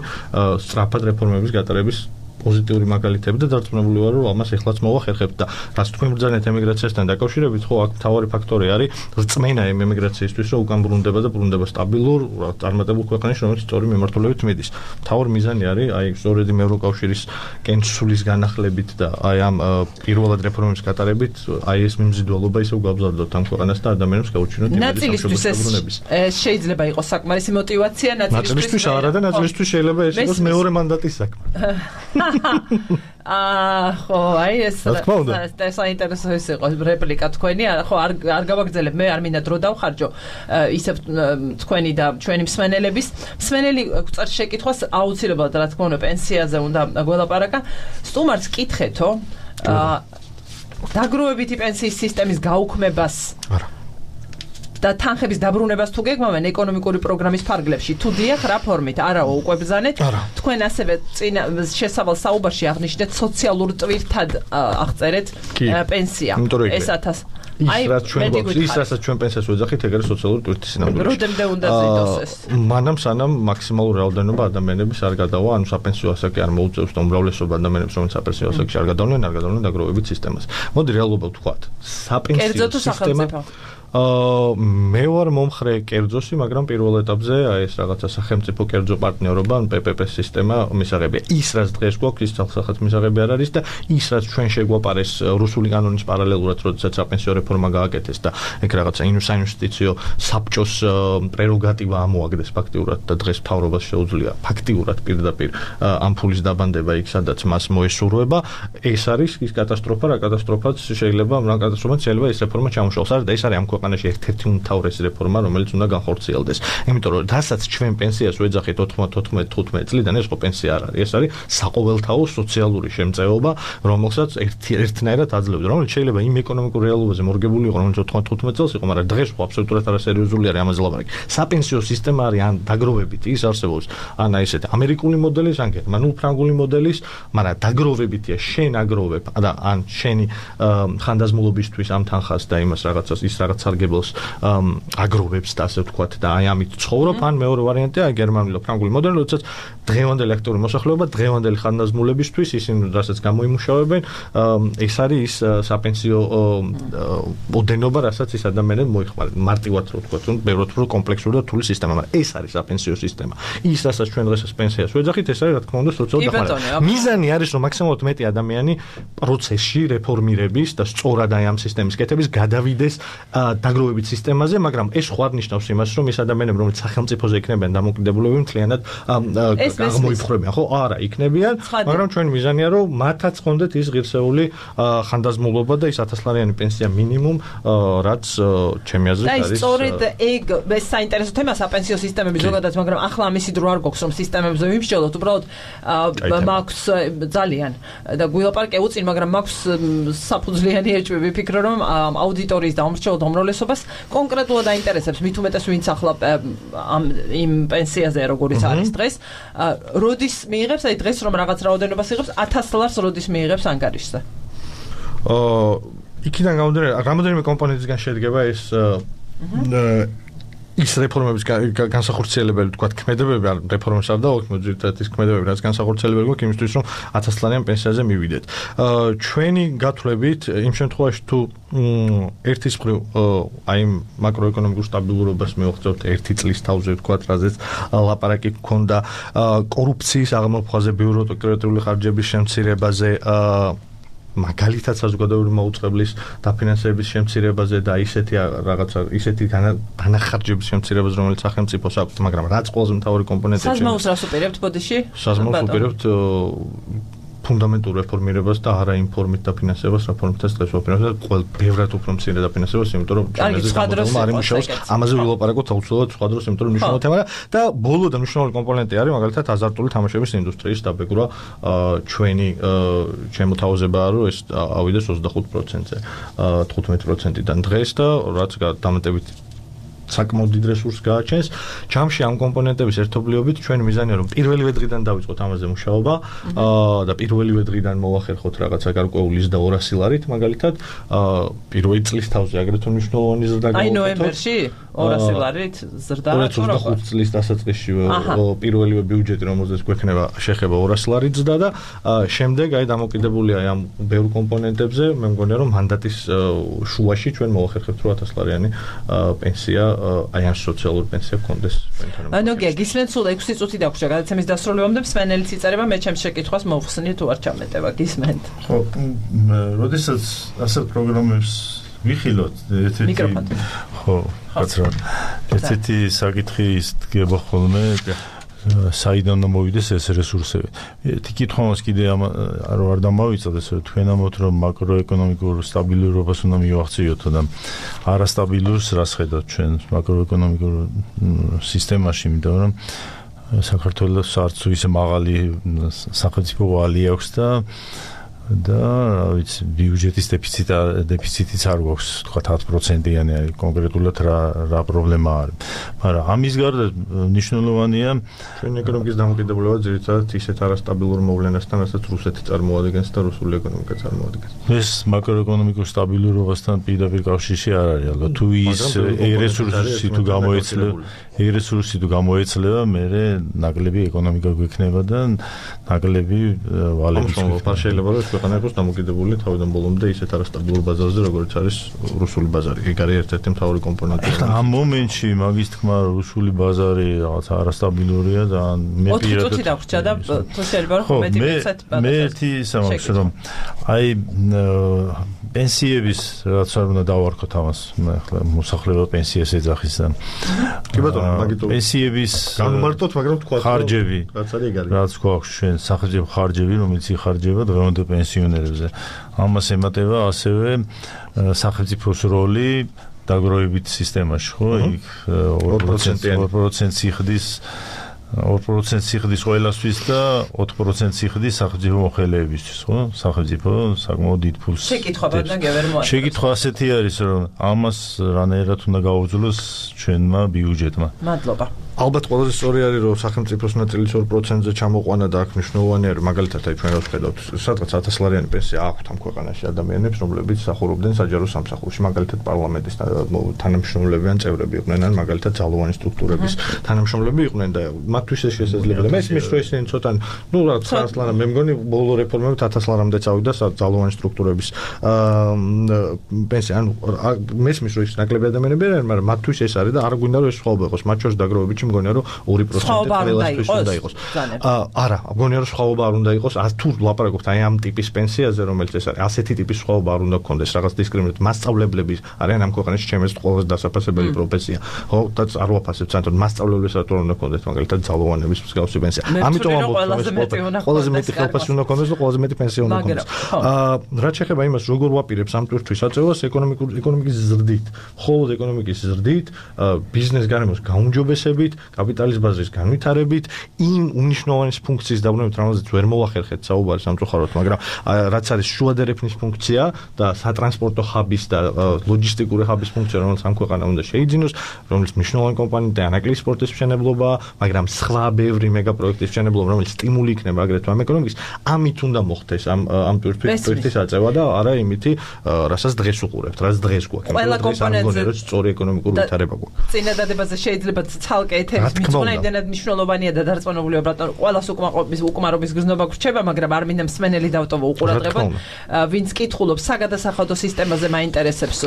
სწრაფად რეფორმების გატარების პოზიტიური მაგალითები და დარწმუნებული ვარ, რომ ამას ეხლაც მოვახერხებთ და რაც თქვენ ბრძანეთ ემიგრაციასთან დაკავშირებით, ხო, აქ მთავარი ფაქტორი არის რწმენა იმ ემიგრაციისთვის, რომ უკან ბრუნდება და ბრუნდება სტაბილურ, წარმატებულ ქვეყანაში, რომელიც სწორი მიმართულებით მიდის. მთავარი მიზანი არის აი სწორედ იმ ევროკავშირის კენცულის განახლებით და აი ამ პირველად რეფორმების გატარებით აი ეს მიმზიდველობა ისევ გავზარდოთ ამ ქვეყანას და ადამიანებს გაუჩინოთ იმედი სამშობლოს ეს შეიძლება იყოს საკმარისი мотиваცია, ნაწილისთვის არა და ნაწილისთვის შეიძლება ეს იყოს მეორე მანდატის საქმე. აა ხო, აი ეს ეს საინტერესო იყო რეპლიკა თქვენი, ხო არ არ გავაგრძელებ, მე არ მინდა დრო დავხარჯო ისევ თქვენი და ჩვენი მსმენელების. მსმენელი გვწერ შეკითხვას აუცილებლად რა თქმა უნდა პენსიაზე უნდა გველაპარაკა. სტუმარს კითხეთო, აა დაგროვებითი პენსიის სისტემის გაუქმებას არა და თანხების დაბრუნებას თუ გეგმავენ ეკონომიკური პროგრამის ფარგლებში, თუ დიახ რა ფორმით, არაო უკვე ბრძანეთ. თქვენ ასევე წინა შესავალ საუბარში აღნიშნეთ სოციალურ ტვირთად აღწერეთ პენსია. ეს ათას ის რაც ჩვენ გვაქვს, ის რასაც ჩვენ პენსიას ვეძახით, ეგრე სოციალური ტვირთის სინამდვილეში. როდემდე უნდა ზრდოს ეს? მანამ სანამ მაქსიმალური რაოდენობა ადამიანების არ გადავა, ანუ საპენსიო ასაკი არ მოუწევს და უმრავლესობა ადამიანებს, რომელიც საპენსიო ასაკში არ გადავლენ, არ გადავლენ დაგროვებით სისტემას. მოდი რეალობა ვთქვათ. საპენსიო სისტემა აა მე ვარ მომხრე კერძოსი, მაგრამ პირველ ეტაპზე აი ეს რაღაცა სახელმწიფო კერძო პარტნიორობა, ან პე პე პე სისტემა მისაღებია. ის რაც დღეს გვაქვს, ის თალსახად მისაღები არ არის და ის რაც ჩვენ შეგვაპარეს რუსული კანონის პარალელურად, როდესაც საპენსიო რეფორმა გააკეთეს და ეგ რაღაცა საინვესტიციო საბჭოს პრეროგატივა ამოაგდეს ფაქტიურად და დღეს მთავრობას შეუძლია ფაქტიურად პირდაპირ ამ ფულის დაბანდება იქ, სადაც მას მოესურვება. ეს არის ის კატასტროფა, რა კატასტროფაც შეიძლება, რა კატასტროფაც შეიძლება ეს რეფორმა ჩამოშალოს. არა და ეს არის ამ ქვეყანაში ერთ-ერთი უმთავრესი რეფორმა, რომელიც უნდა განხორციელდეს. იმიტომ რომ რასაც ჩვენ პენსიას ვეძახით ოთხმოცდაოთხ თხუთმეტ წლიდან, ეს ხო პენსია არ არის, ეს არის საყოველთაო სოციალური შემწეობა, რომელსაც ერთნაირად აძლევდა, რომელიც შეიძლება იმ ეკონომიკურ რეალობაზე მორგებული იყო, რომელიც ოთხმოცდაოთხ წელს იყო, მაგრამ დღეს ხო აბსოლუტურად არასერიოზული არის ამაზე ლაპარაკი. საპენსიო სისტემა არის ან დაგროვებითი, ის არსებობს, ან აი ესეთი ამერიკული მოდელის, ან გერმანულ ფრანგული მოდელის, მაგრამ დაგროვებითია, შენ აგროვებ და ან შენი ხანდაზმულობისთვის ამ თანხას და იმას რაღაცას ის რაღაც სარგებლოს აგროვებს და ასე ვთქვათ და აი ამით ცხოვრობ, ან მეორე ვარიანტია გერმანული ფრანგული მოდელი, როდესაც დღევანდელი აქტიური მოსახლეობა, დღევანდელი ხანდაზმულებისთვის ისინი რასაც გამოიმუშავებენ, ეს არის ის საპენსიო ოდენობა, რასაც ის ადამიანები მოიხმარენ. მარტივად რო ვთქვათ, ბევრად უფრო კომპლექსური და რთული სისტემა, მაგრამ ეს არის საპენსიო სისტემა. ის რასაც ჩვენ დღეს პენსიას ვეძახით, ეს არის რა თქმა უნდა სოციალური დახმარება. მიზანი არის, რომ მაქსიმალურად მეტი ადამიანი პროცესში რეფორმირების და სწორად აი ამ სისტემის კეთების გადავიდეს დაგროვებით სისტემაზე, მაგრამ ეს ხო არ ნიშნავს იმას, რომ ეს ადამიანები, რომელიც სახელმწიფოზე იქნებიან დამოკიდებულები, მთლიანად აღმოიფხრებიან, ხო? არა, იქნებიან, მაგრამ ჩვენი მიზანია, რომ მათაც ხონდეთ ის ღირსეული ხანდაზმულობა და ის ათასლარიანი პენსია მინიმუმ, რაც ჩემი აზრით არის. და სწორედ ეგ ეს საინტერესო თემაა საპენსიო სისტემები ზოგადად, მაგრამ ახლა ამისი დრო არ გვაქვს, რომ სისტემებზე ვიმსჯელოთ, უბრალოდ მაქვს ძალიან და გვილაპარაკე უწინ, მაგრამ მაქვს საფუძვლიანი ეჭვი, ვიფიქრე, რომ აუდიტორიის და უმრჩევლად უმრავლესობას კონკრეტულად აინტერესებს, მით უმეტეს ვინც ახლა ამ იმ პენსიაზე როგორიც არის დღეს, როდის მიიღებს, აი დღეს რომ რაღაც რაოდენობას იღებს, ათას ლარს როდის მიიღებს ანგარიშზე? აა იქიდან გამომდინარე, რამოდენიმე კომპონენტისგან შედგება ეს ის რეფორმების განსახორციელებელი თქვა ქმედებები, ან რეფორმებს არ დავაქვს, მოძირთად ის ქმედებები, რაც განსახორციელებელი გვაქვს იმისთვის, რომ ათასლარიან პენსიაზე მივიდეთ. ჩვენი გათვლებით, იმ შემთხვევაში თუ ერთის მხრივ აი მაკროეკონომიკურ სტაბილურობას მივაღწევთ ერთი წლის თავზე ვთქვათ, რაზეც ლაპარაკი გქონდა კორუფციის აღმოფხაზე, ბიუროკრატიული ხარჯების შემცირებაზე, მაგალითად საზოგადოებრივი მაუწყებლის დაფინანსების შემცირებაზე და ისეთი რაღაცა ისეთი დანახარჯების შემცირებაზე, რომელიც სახელმწიფოს აქვს, მაგრამ რაც ყველაზე მთავარი კომპონენტია. საზმაოს რას უპირებთ ბოდიში? საზმაოს უპირებთ ფუნდამენტურ რეფორმირებას და არა იმ ფორმით დაფინანსებას, რა ფორმითაც დღეს ვაფინანსებთ, ყოველ ბევრად უფრო მცირე დაფინანსებას, იმიტომ რომ ჩემზე გამოდგომა არ იმუშავოს, ამაზე ვილაპარაკოთ აუცილებლად სხვა დროს, იმიტომ რომ მნიშვნელოვანი თემაა და ბოლო და მნიშვნელოვანი კომპონენტი არის მაგალითად აზარტული თამაშების ინდუსტრიის დაბეგრვა. ჩვენი ჩემო თავაზებაა, რომ ეს ავიდეს ოცდახუთ პროცენტზე, თხუთმეტ პროცენტიდან დღეს და რაც დამატებით საკმაოდ დიდ რესურსს გააჩენს. ჯამში ამ კომპონენტების ერთობლიობით ჩვენ მიზანია რომ პირველივე დღიდან დავიწყოთ ამაზე მუშაობა და პირველივე დღიდან მოვახერხოთ რაღაცა გარკვეული ზრდა ორასი ლარით მაგალითად პირველი წლის თავზე აგრეთვე მნიშვნელოვანი ზრდა გავუკეთოთ. აი ნოემბერში ორასი ლარით ზრდა ორი ოცდაოთხ წლის დასაწყისში პირველივე ბიუჯეტი რომელზეც გვექნება შეხება ორასი ლარით ზრდა და შემდეგ აი დამოკიდებულია ამ ბევრ კომპონენტებზე მე მგონია რომ მანდატის შუაში ჩვენ მოვახერხებთ ორი ათას ლარიანი პენსია აი ამ სოციალური პენსია გქონდეს ჩვენთან. ანუ გისმენთ სულ ექვსი წუთი დაგვრჩა გადაცემის დასრულებამდე მსმენელიც იწერება მე ჩემს შეკითხვას მოვხსნი თუ არ ჩამეტება გისმენთ. ხო, როდესაც ასე პროგრამებს ვიხილოთ ერთ-ერთი ხო, კაცრად. ერთ-ერთი საკითხი ის დგება ხოლმე საიდან მოვიდეს ეს რესურსები. ერთი კითხვა მას კიდე რომ არ დამავიწოდეს, რომ თქვენ ამბობთ, რომ მაკროეკონომიკურ სტაბილურობას უნდა მივახციოთ და არასტაბილურს რას ხედავთ ჩვენ მაკროეკონომიკურ სისტემაში, იმიტომ რომ საქართველოს არც ისე მაღალი სახელმწიფო ვალი აქვს და და რა ვიცი ბიუჯეტის დეფიციტი დეფიციტიც არ გვაქვს თქვა ათ პროცენტიანი კონკრეტულად რა რა პრობლემა არის. მაგრამ ამის გარდა მნიშვნელოვანია ჩვენ ეკონომიკის დამოკიდებულება ძირითადად ისეთ არასტაბილურ მოვლენასთან, რასაც რუსეთი წარმოადგენს და რუსული ეკონომიკა წარმოადგენს. ეს მაკროეკონომიკურ სტაბილურობასთან პირდაპირ კავშირში არ არის ალბათ. თუ ის რესურსი თუ გამოეცლება, რესურსი თუ გამოეცლება, მე ნაკლები ეკონომიკა გვექნება და ნაკლები ვალები გვექნება. შეიძლება რომ ქვეყანა იყოს დამოკიდებული თავიდან ბოლომდე ისეთ არასტაბილურ ბაზარზე, როგორც არის რუსული ბაზარი. ეგ არის ერთ-ერთი მთავარი კომპონენტი. ამ მომენტში მაგის თქმა რუსული ბაზარი რაღაც არასტაბილურია და მე პირადად ოთხი წუთი დავრჩა და თუ შეიძლება რომ მეტი მიცეთ ბატონო. მე ერთი ისა მაქვს რომ აი პენსიების რაც არ უნდა დავარქოთ ამას, ახლა მოსახლეობა პენსიას ეძახის და კი ბატონო, მაგითო პენსიების განმარტოთ, მაგრამ თქვა ხარჯები, რაც არის ეგ არის. რაც გვაქვს ჩვენ სახელმწიფო ხარჯები, რომელიც იხარჯება დღევანდელ პენსიონერებზე. ამას ემატება ასევე სახელმწიფოს როლი დაგროვებით სისტემაში, ხო? იქ ორი პროცენტი სიხდის ორი პროცენტი სიხდის ყველასთვის და ოთხ პროცენტი სიხდის სახელმწიფო მოხელეებისთვის, ხო? სახელმწიფო საკმაოდ დიდ ფულს. შეკითხვა ბატონო გევერ მოაწყო. შეკითხვა ასეთი არის, რომ ამას რანაირად უნდა გაუძლოს ჩვენმა ბიუჯეტმა. მადლობა. ალბათ ყველაზე სწორი არის რომ სახელმწიფოს ნაწილის ორი პროცენტზე ჩამოყვანა და აქ მნიშვნელოვანია რომ მაგალითად აი ჩვენ რაც ხედავთ სადღაც ათას ლარიანი პენსია აქვთ ამ ქვეყანაში ადამიანებს რომლებიც მსახურობდნენ საჯარო სამსახურში მაგალითად პარლამენტის თანამშრომლები ან წევრები იყვნენ ან მაგალითად ძალოვანი სტრუქტურების თანამშრომლები იყვნენ და მათთვის ეს შესაძლებელია მე ისმის რომ ისინი ცოტა ნუ რა ცხრა ლარა მე მგონი ბოლო რეფორმებით ათას ლარამდე წავიდა ძალოვანი სტრუქტურების პენსია ანუ მე ისმის რომ ის ნაკლები ადამიანები არიან მაგრამ მათთვის ეს არის და არ გვინდა რომ ეს სხვაობა იყოს მათ შორის დაგროვებითი მგონია რომ ორი პროცენტი ყველასთვის უნდა იყოს. არა, მგონია რომ სხვაობა არ უნდა იყოს. თუ ლაპარაკობთ აი ამ ტიპის პენსიაზე, რომელიც ეს არის, ასეთი ტიპის სხვაობა არ უნდა გქონდეს, რაღაც დისკრიმინაცია. მასწავლებლები არიან ამ ქვეყანაში ჩემს ყველაზე დასაფასებელი პროფესია. ხო, და არ ვაფასებ ცანტონ მასწავლებლებს რატო უნდა გქონდეს მაგალითად ძალოვანების მსგავსი პენსია. ამიტომ ამბობ ყველაზე მეტი ხელფასი უნდა გქონდეს და ყველაზე მეტი პენსია უნდა გქონდეს. აა რაც შეეხება იმას, როგორ ვაპირებს ამ ტვირთვის აწევას ეკონომიკურ ეკონომიკის ზრდით, მხოლოდ ეკონომიკის ზრდით, ბიზნეს გარემოს გაუმჯობესებით კაპიტალის ბაზრის განვითარებით, იმ უნიშნავანის ფუნქციის დაბრუნებით, რომელზეც ვერ მოვახერხეთ საუბარი სამწუხაროდ, მაგრამ რაც არის შუადერეფნის ფუნქცია და სატრანსპორტო ჰაბის და ლოჯისტიკური ჰაბის ფუნქცია, რომელიც ამ ქვეყანამ უნდა შეიძინოს, რომელიც მნიშვნელოვანი კომპონენტია ანაკლიის სპორტის მშენებლობა, მაგრამ სხვა ბევრი მეგაპროექტის მშენებლობა, რომელიც სტიმული იქნება აგრეთვე ამ ეკონომიკის, ამით უნდა მოხდეს ამ ამ ტვირთვის აწევა და არა იმითი, რასაც დღეს უყურებთ, რაც დღეს გვაქვს. ყველა კომპონენტზე სწორი ეკონომიკური ვითარება გვაქვს. წინადადებაზე შეიძლება ცალკე ეთერის მიწვნა იმდენად მნიშვნელოვანია და დარწმუნებულია ბატონო ყველას უკმაყოფის უკმარობის გზნობა გრჩება მაგრამ არ მინდა მსმენელი დავტოვო უყურადღებოდ ვინც კითხულობს საგადასახადო სისტემაზე მაინტერესებს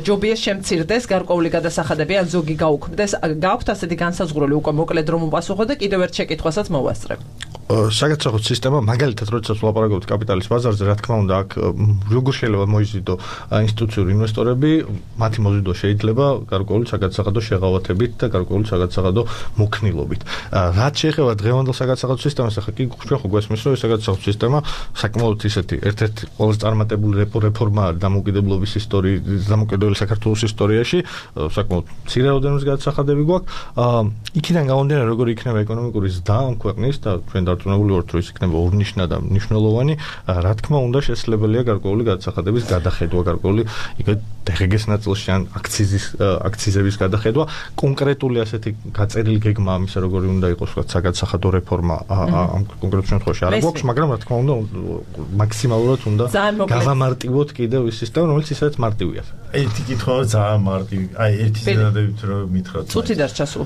ჯობია შემცირდეს გარკვეული გადასახადები ან ზოგი გაუქმდეს გაქვთ ასეთი განსაზღვრული უკვე მოკლედ რომ უპასუხო და კიდევ ერთ შეკითხვასაც მოვასწრებ საგადასახადო სისტემა მაგალითად როდესაც ვლაპარაკობთ კაპიტალის ბაზარზე რა თქმა უნდა აქ როგორ შეიძლება მოიზიდო ინსტიტუციური ინვესტორები მათი მოზიდვა შეიძლება გარკვეული საგადასახადო შეღავათებით და გარკვეული საგადასახადო მოქნილობით. რაც შეეხება დღევანდელ საგადასახადო სისტემას, ახლა კი ჩვენ ხო გვესმის, რომ ეს საგადასახადო სისტემა საკმაოდ ისეთი ერთ-ერთი ყველაზე წარმატებული რეფორმა არის დამოუკიდებლობის ისტორიის, დამოუკიდებელი საქართველოს ისტორიაში, საკმაოდ მცირე რაოდენობის გადასახადები გვაქვს. იქიდან გამომდინარე, როგორი იქნება ეკონომიკური ზრდა ამ ქვეყნის და ჩვენ დარწმუნებული ვართ, რომ ის იქნება ორნიშნა და მნიშვნელოვანი. Რა თქმა უნდა, შესაძლებელია გარკვეული გადასახადების გადახედვა, გარკვეული იქ დღგ-ის ნაწილში ან აქციზის აქციზების გადახედვა. კონკრეტული ასეთი გაწერილი გეგმა ამისა, როგორი უნდა იყოს საგადასახადო რეფორმა ამ კონკრეტულ შემთხვევაში არ გვაქვს, მაგრამ რა თქმა უნდა, მაქსიმალურად უნდა გავამარტივოთ კიდევ ის სისტემა, რომელიც ისაც მარტივია. ერთი კითხვა ძალიან მარტივი. აი, ერთი ზედადებით რომ მითხრათ. წუთი დარჩასულ.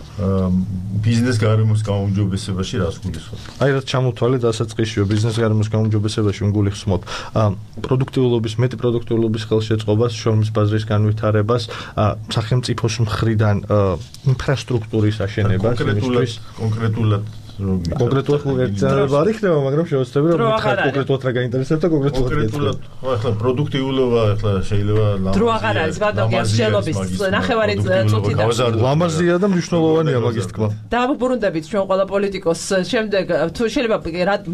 ბიზნეს გარემოს გაუმჯობესებაში რას გულისხმობთ? აი, რაც ჩამოთვალე დასაწყისშიო ბიზნეს გარემოს გაუმჯობესებაში გულისხმობ პროდუქტიულობის, მეტი პროდუქტიულობის ხელშეწყობას, შრომის ბაზრის განვითარებას, სახელმწიფოს მხრიდან ინფრასტრუქტურის აშენებას, კონკრეტულად კონკრეტულად კონკრეტულად კონკრეტულად არ იქნება, მაგრამ შევეცდები რომ მითხრათ კონკრეტულად რა გაინტერესებთ და კონკრეტულად კონკრეტულად ახლა პროდუქტიულობა ახლა შეიძლება ლამაზია. დრო აღარ არის, ბატონო, მსჯელობის ნახევარი წუთი და ლამაზია და მნიშვნელოვანია მაგის თქმა. დავუბრუნდებით ჩვენ ყველა პოლიტიკოს შემდეგ თუ შეიძლება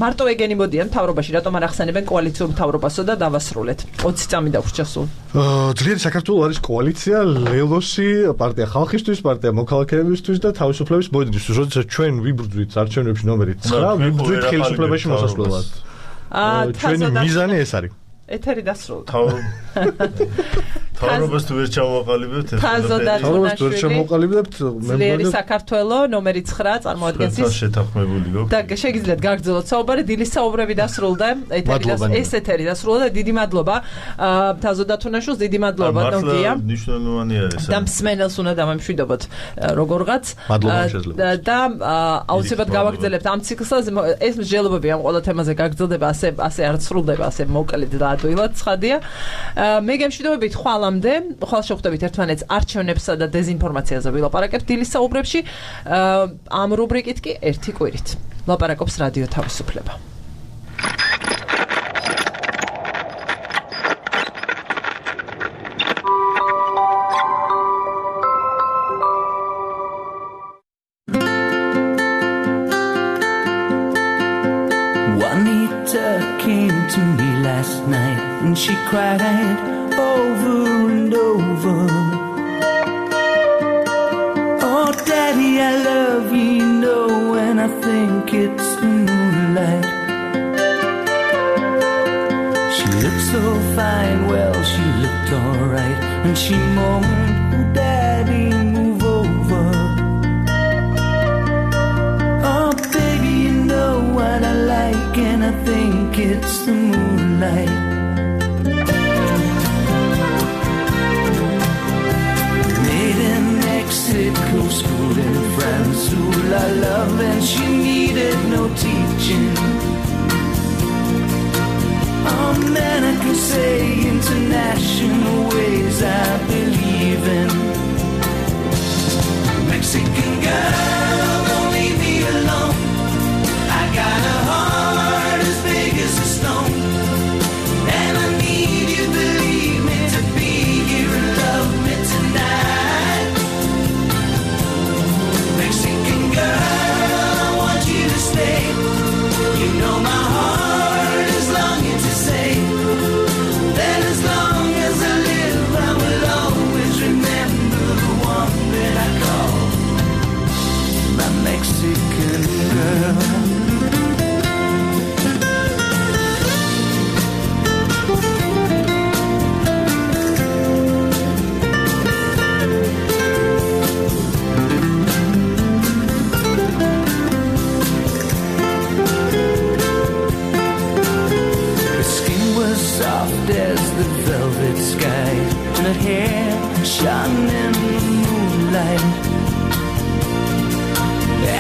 მარტო ეგენი მოდიან მთავრობაში, რატომ არ ახსენებენ კოალიციურ მთავრობასო და დავასრულეთ. ოცი წამი დაგვრჩა სულ. ძლიერი საქართველო არის კოალიცია, ლელოსი, პარტია ხალხისთვის, პარტია მოქალაქეებისთვის და თავისუფლების ბოიდისთვის. როდესაც ჩვენ ვიბრძვით არჩევნებში ნომერი ცხრა, ვიბრძვით ხელისუფლებაში მოსასვლელად. ჩვენი მიზანი ეს არის. ეთერი დასრულდა. თავრობას თუ ვერ ჩავაყალიბებთ, თავრობას თუ ვერ ჩამოყალიბებთ, ძლიერი საქართველო ნომერი ცხრა წარმოადგენს ის შეთანხმებული გქონდა. და შეგიძლიათ გაგრძელოთ საუბარი, დილის საუბრები დასრულდა, ეთერი ეს ეთერი დასრულდა და დიდი მადლობა თაზოდათუნაშვილს, დიდი მადლობა ნოგია. მნიშვნელოვანია ეს. და მსმენელს უნდა დამემშვიდობოთ როგორღაც და აუცილებლად გავაგრძელებთ ამ ციკლს, ეს მსჯელობები ამ ყველა თემაზე გაგრძელდება, ასე ასე არ სრულდება, ასე მოკლედ და ადვილად ცხადია. მე გემშვიდობებით ხვალ ხვალ შევხვდებით ერთმანეთს არჩევნებსა და დეზინფორმაციაზე ვილაპარაკებთ დილის საუბრებში. ამ რუბრიკით კი ერთი კვირით ლაპარაკობს რადიო თავისუფლება. Juanita came to me last night and she cried over and over. Oh, Daddy, I love you, you know, and I think it's the moonlight. She looked so fine, well, she looked alright, and she moaned, oh, Daddy, move over. Oh, baby, you know what I like, and I think it's the moonlight. Mexico school in France, who I love, and she needed no teaching. Oh man, I can say international ways I believe in. Mexican girl, don't leave me alone. I got a heart as big as a stone, and I need you, believe me, to be here and love me tonight. Mexican girl, I want you to stay. You know my heart is longing to say that as long as I live, I will always remember the one that I call my Mexican girl. Soft as the velvet sky, and her hair shone in the moonlight.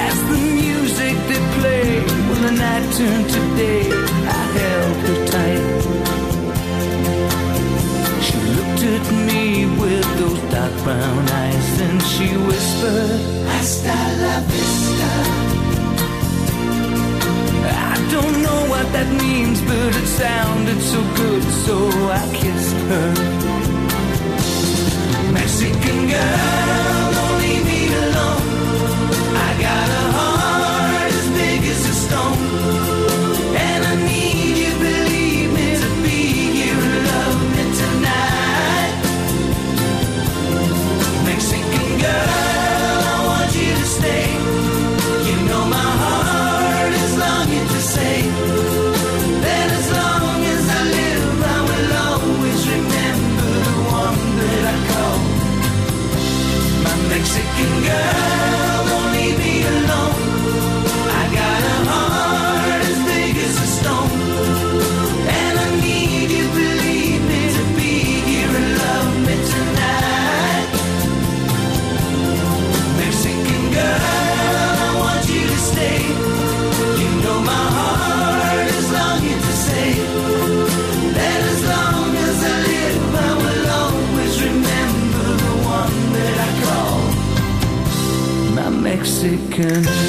As the music that played when the night turned to day, I held her tight. She looked at me with those dark brown eyes, and she whispered, "Hasta la vista." I don't know what that means, but it sounded so good, so I kissed her. Mexican girl, don't leave me alone. I got a heart as big as a stone, and I need you, believe me, to be here and love me tonight. Mexican girl, I want you to stay. You know my heart is longing to can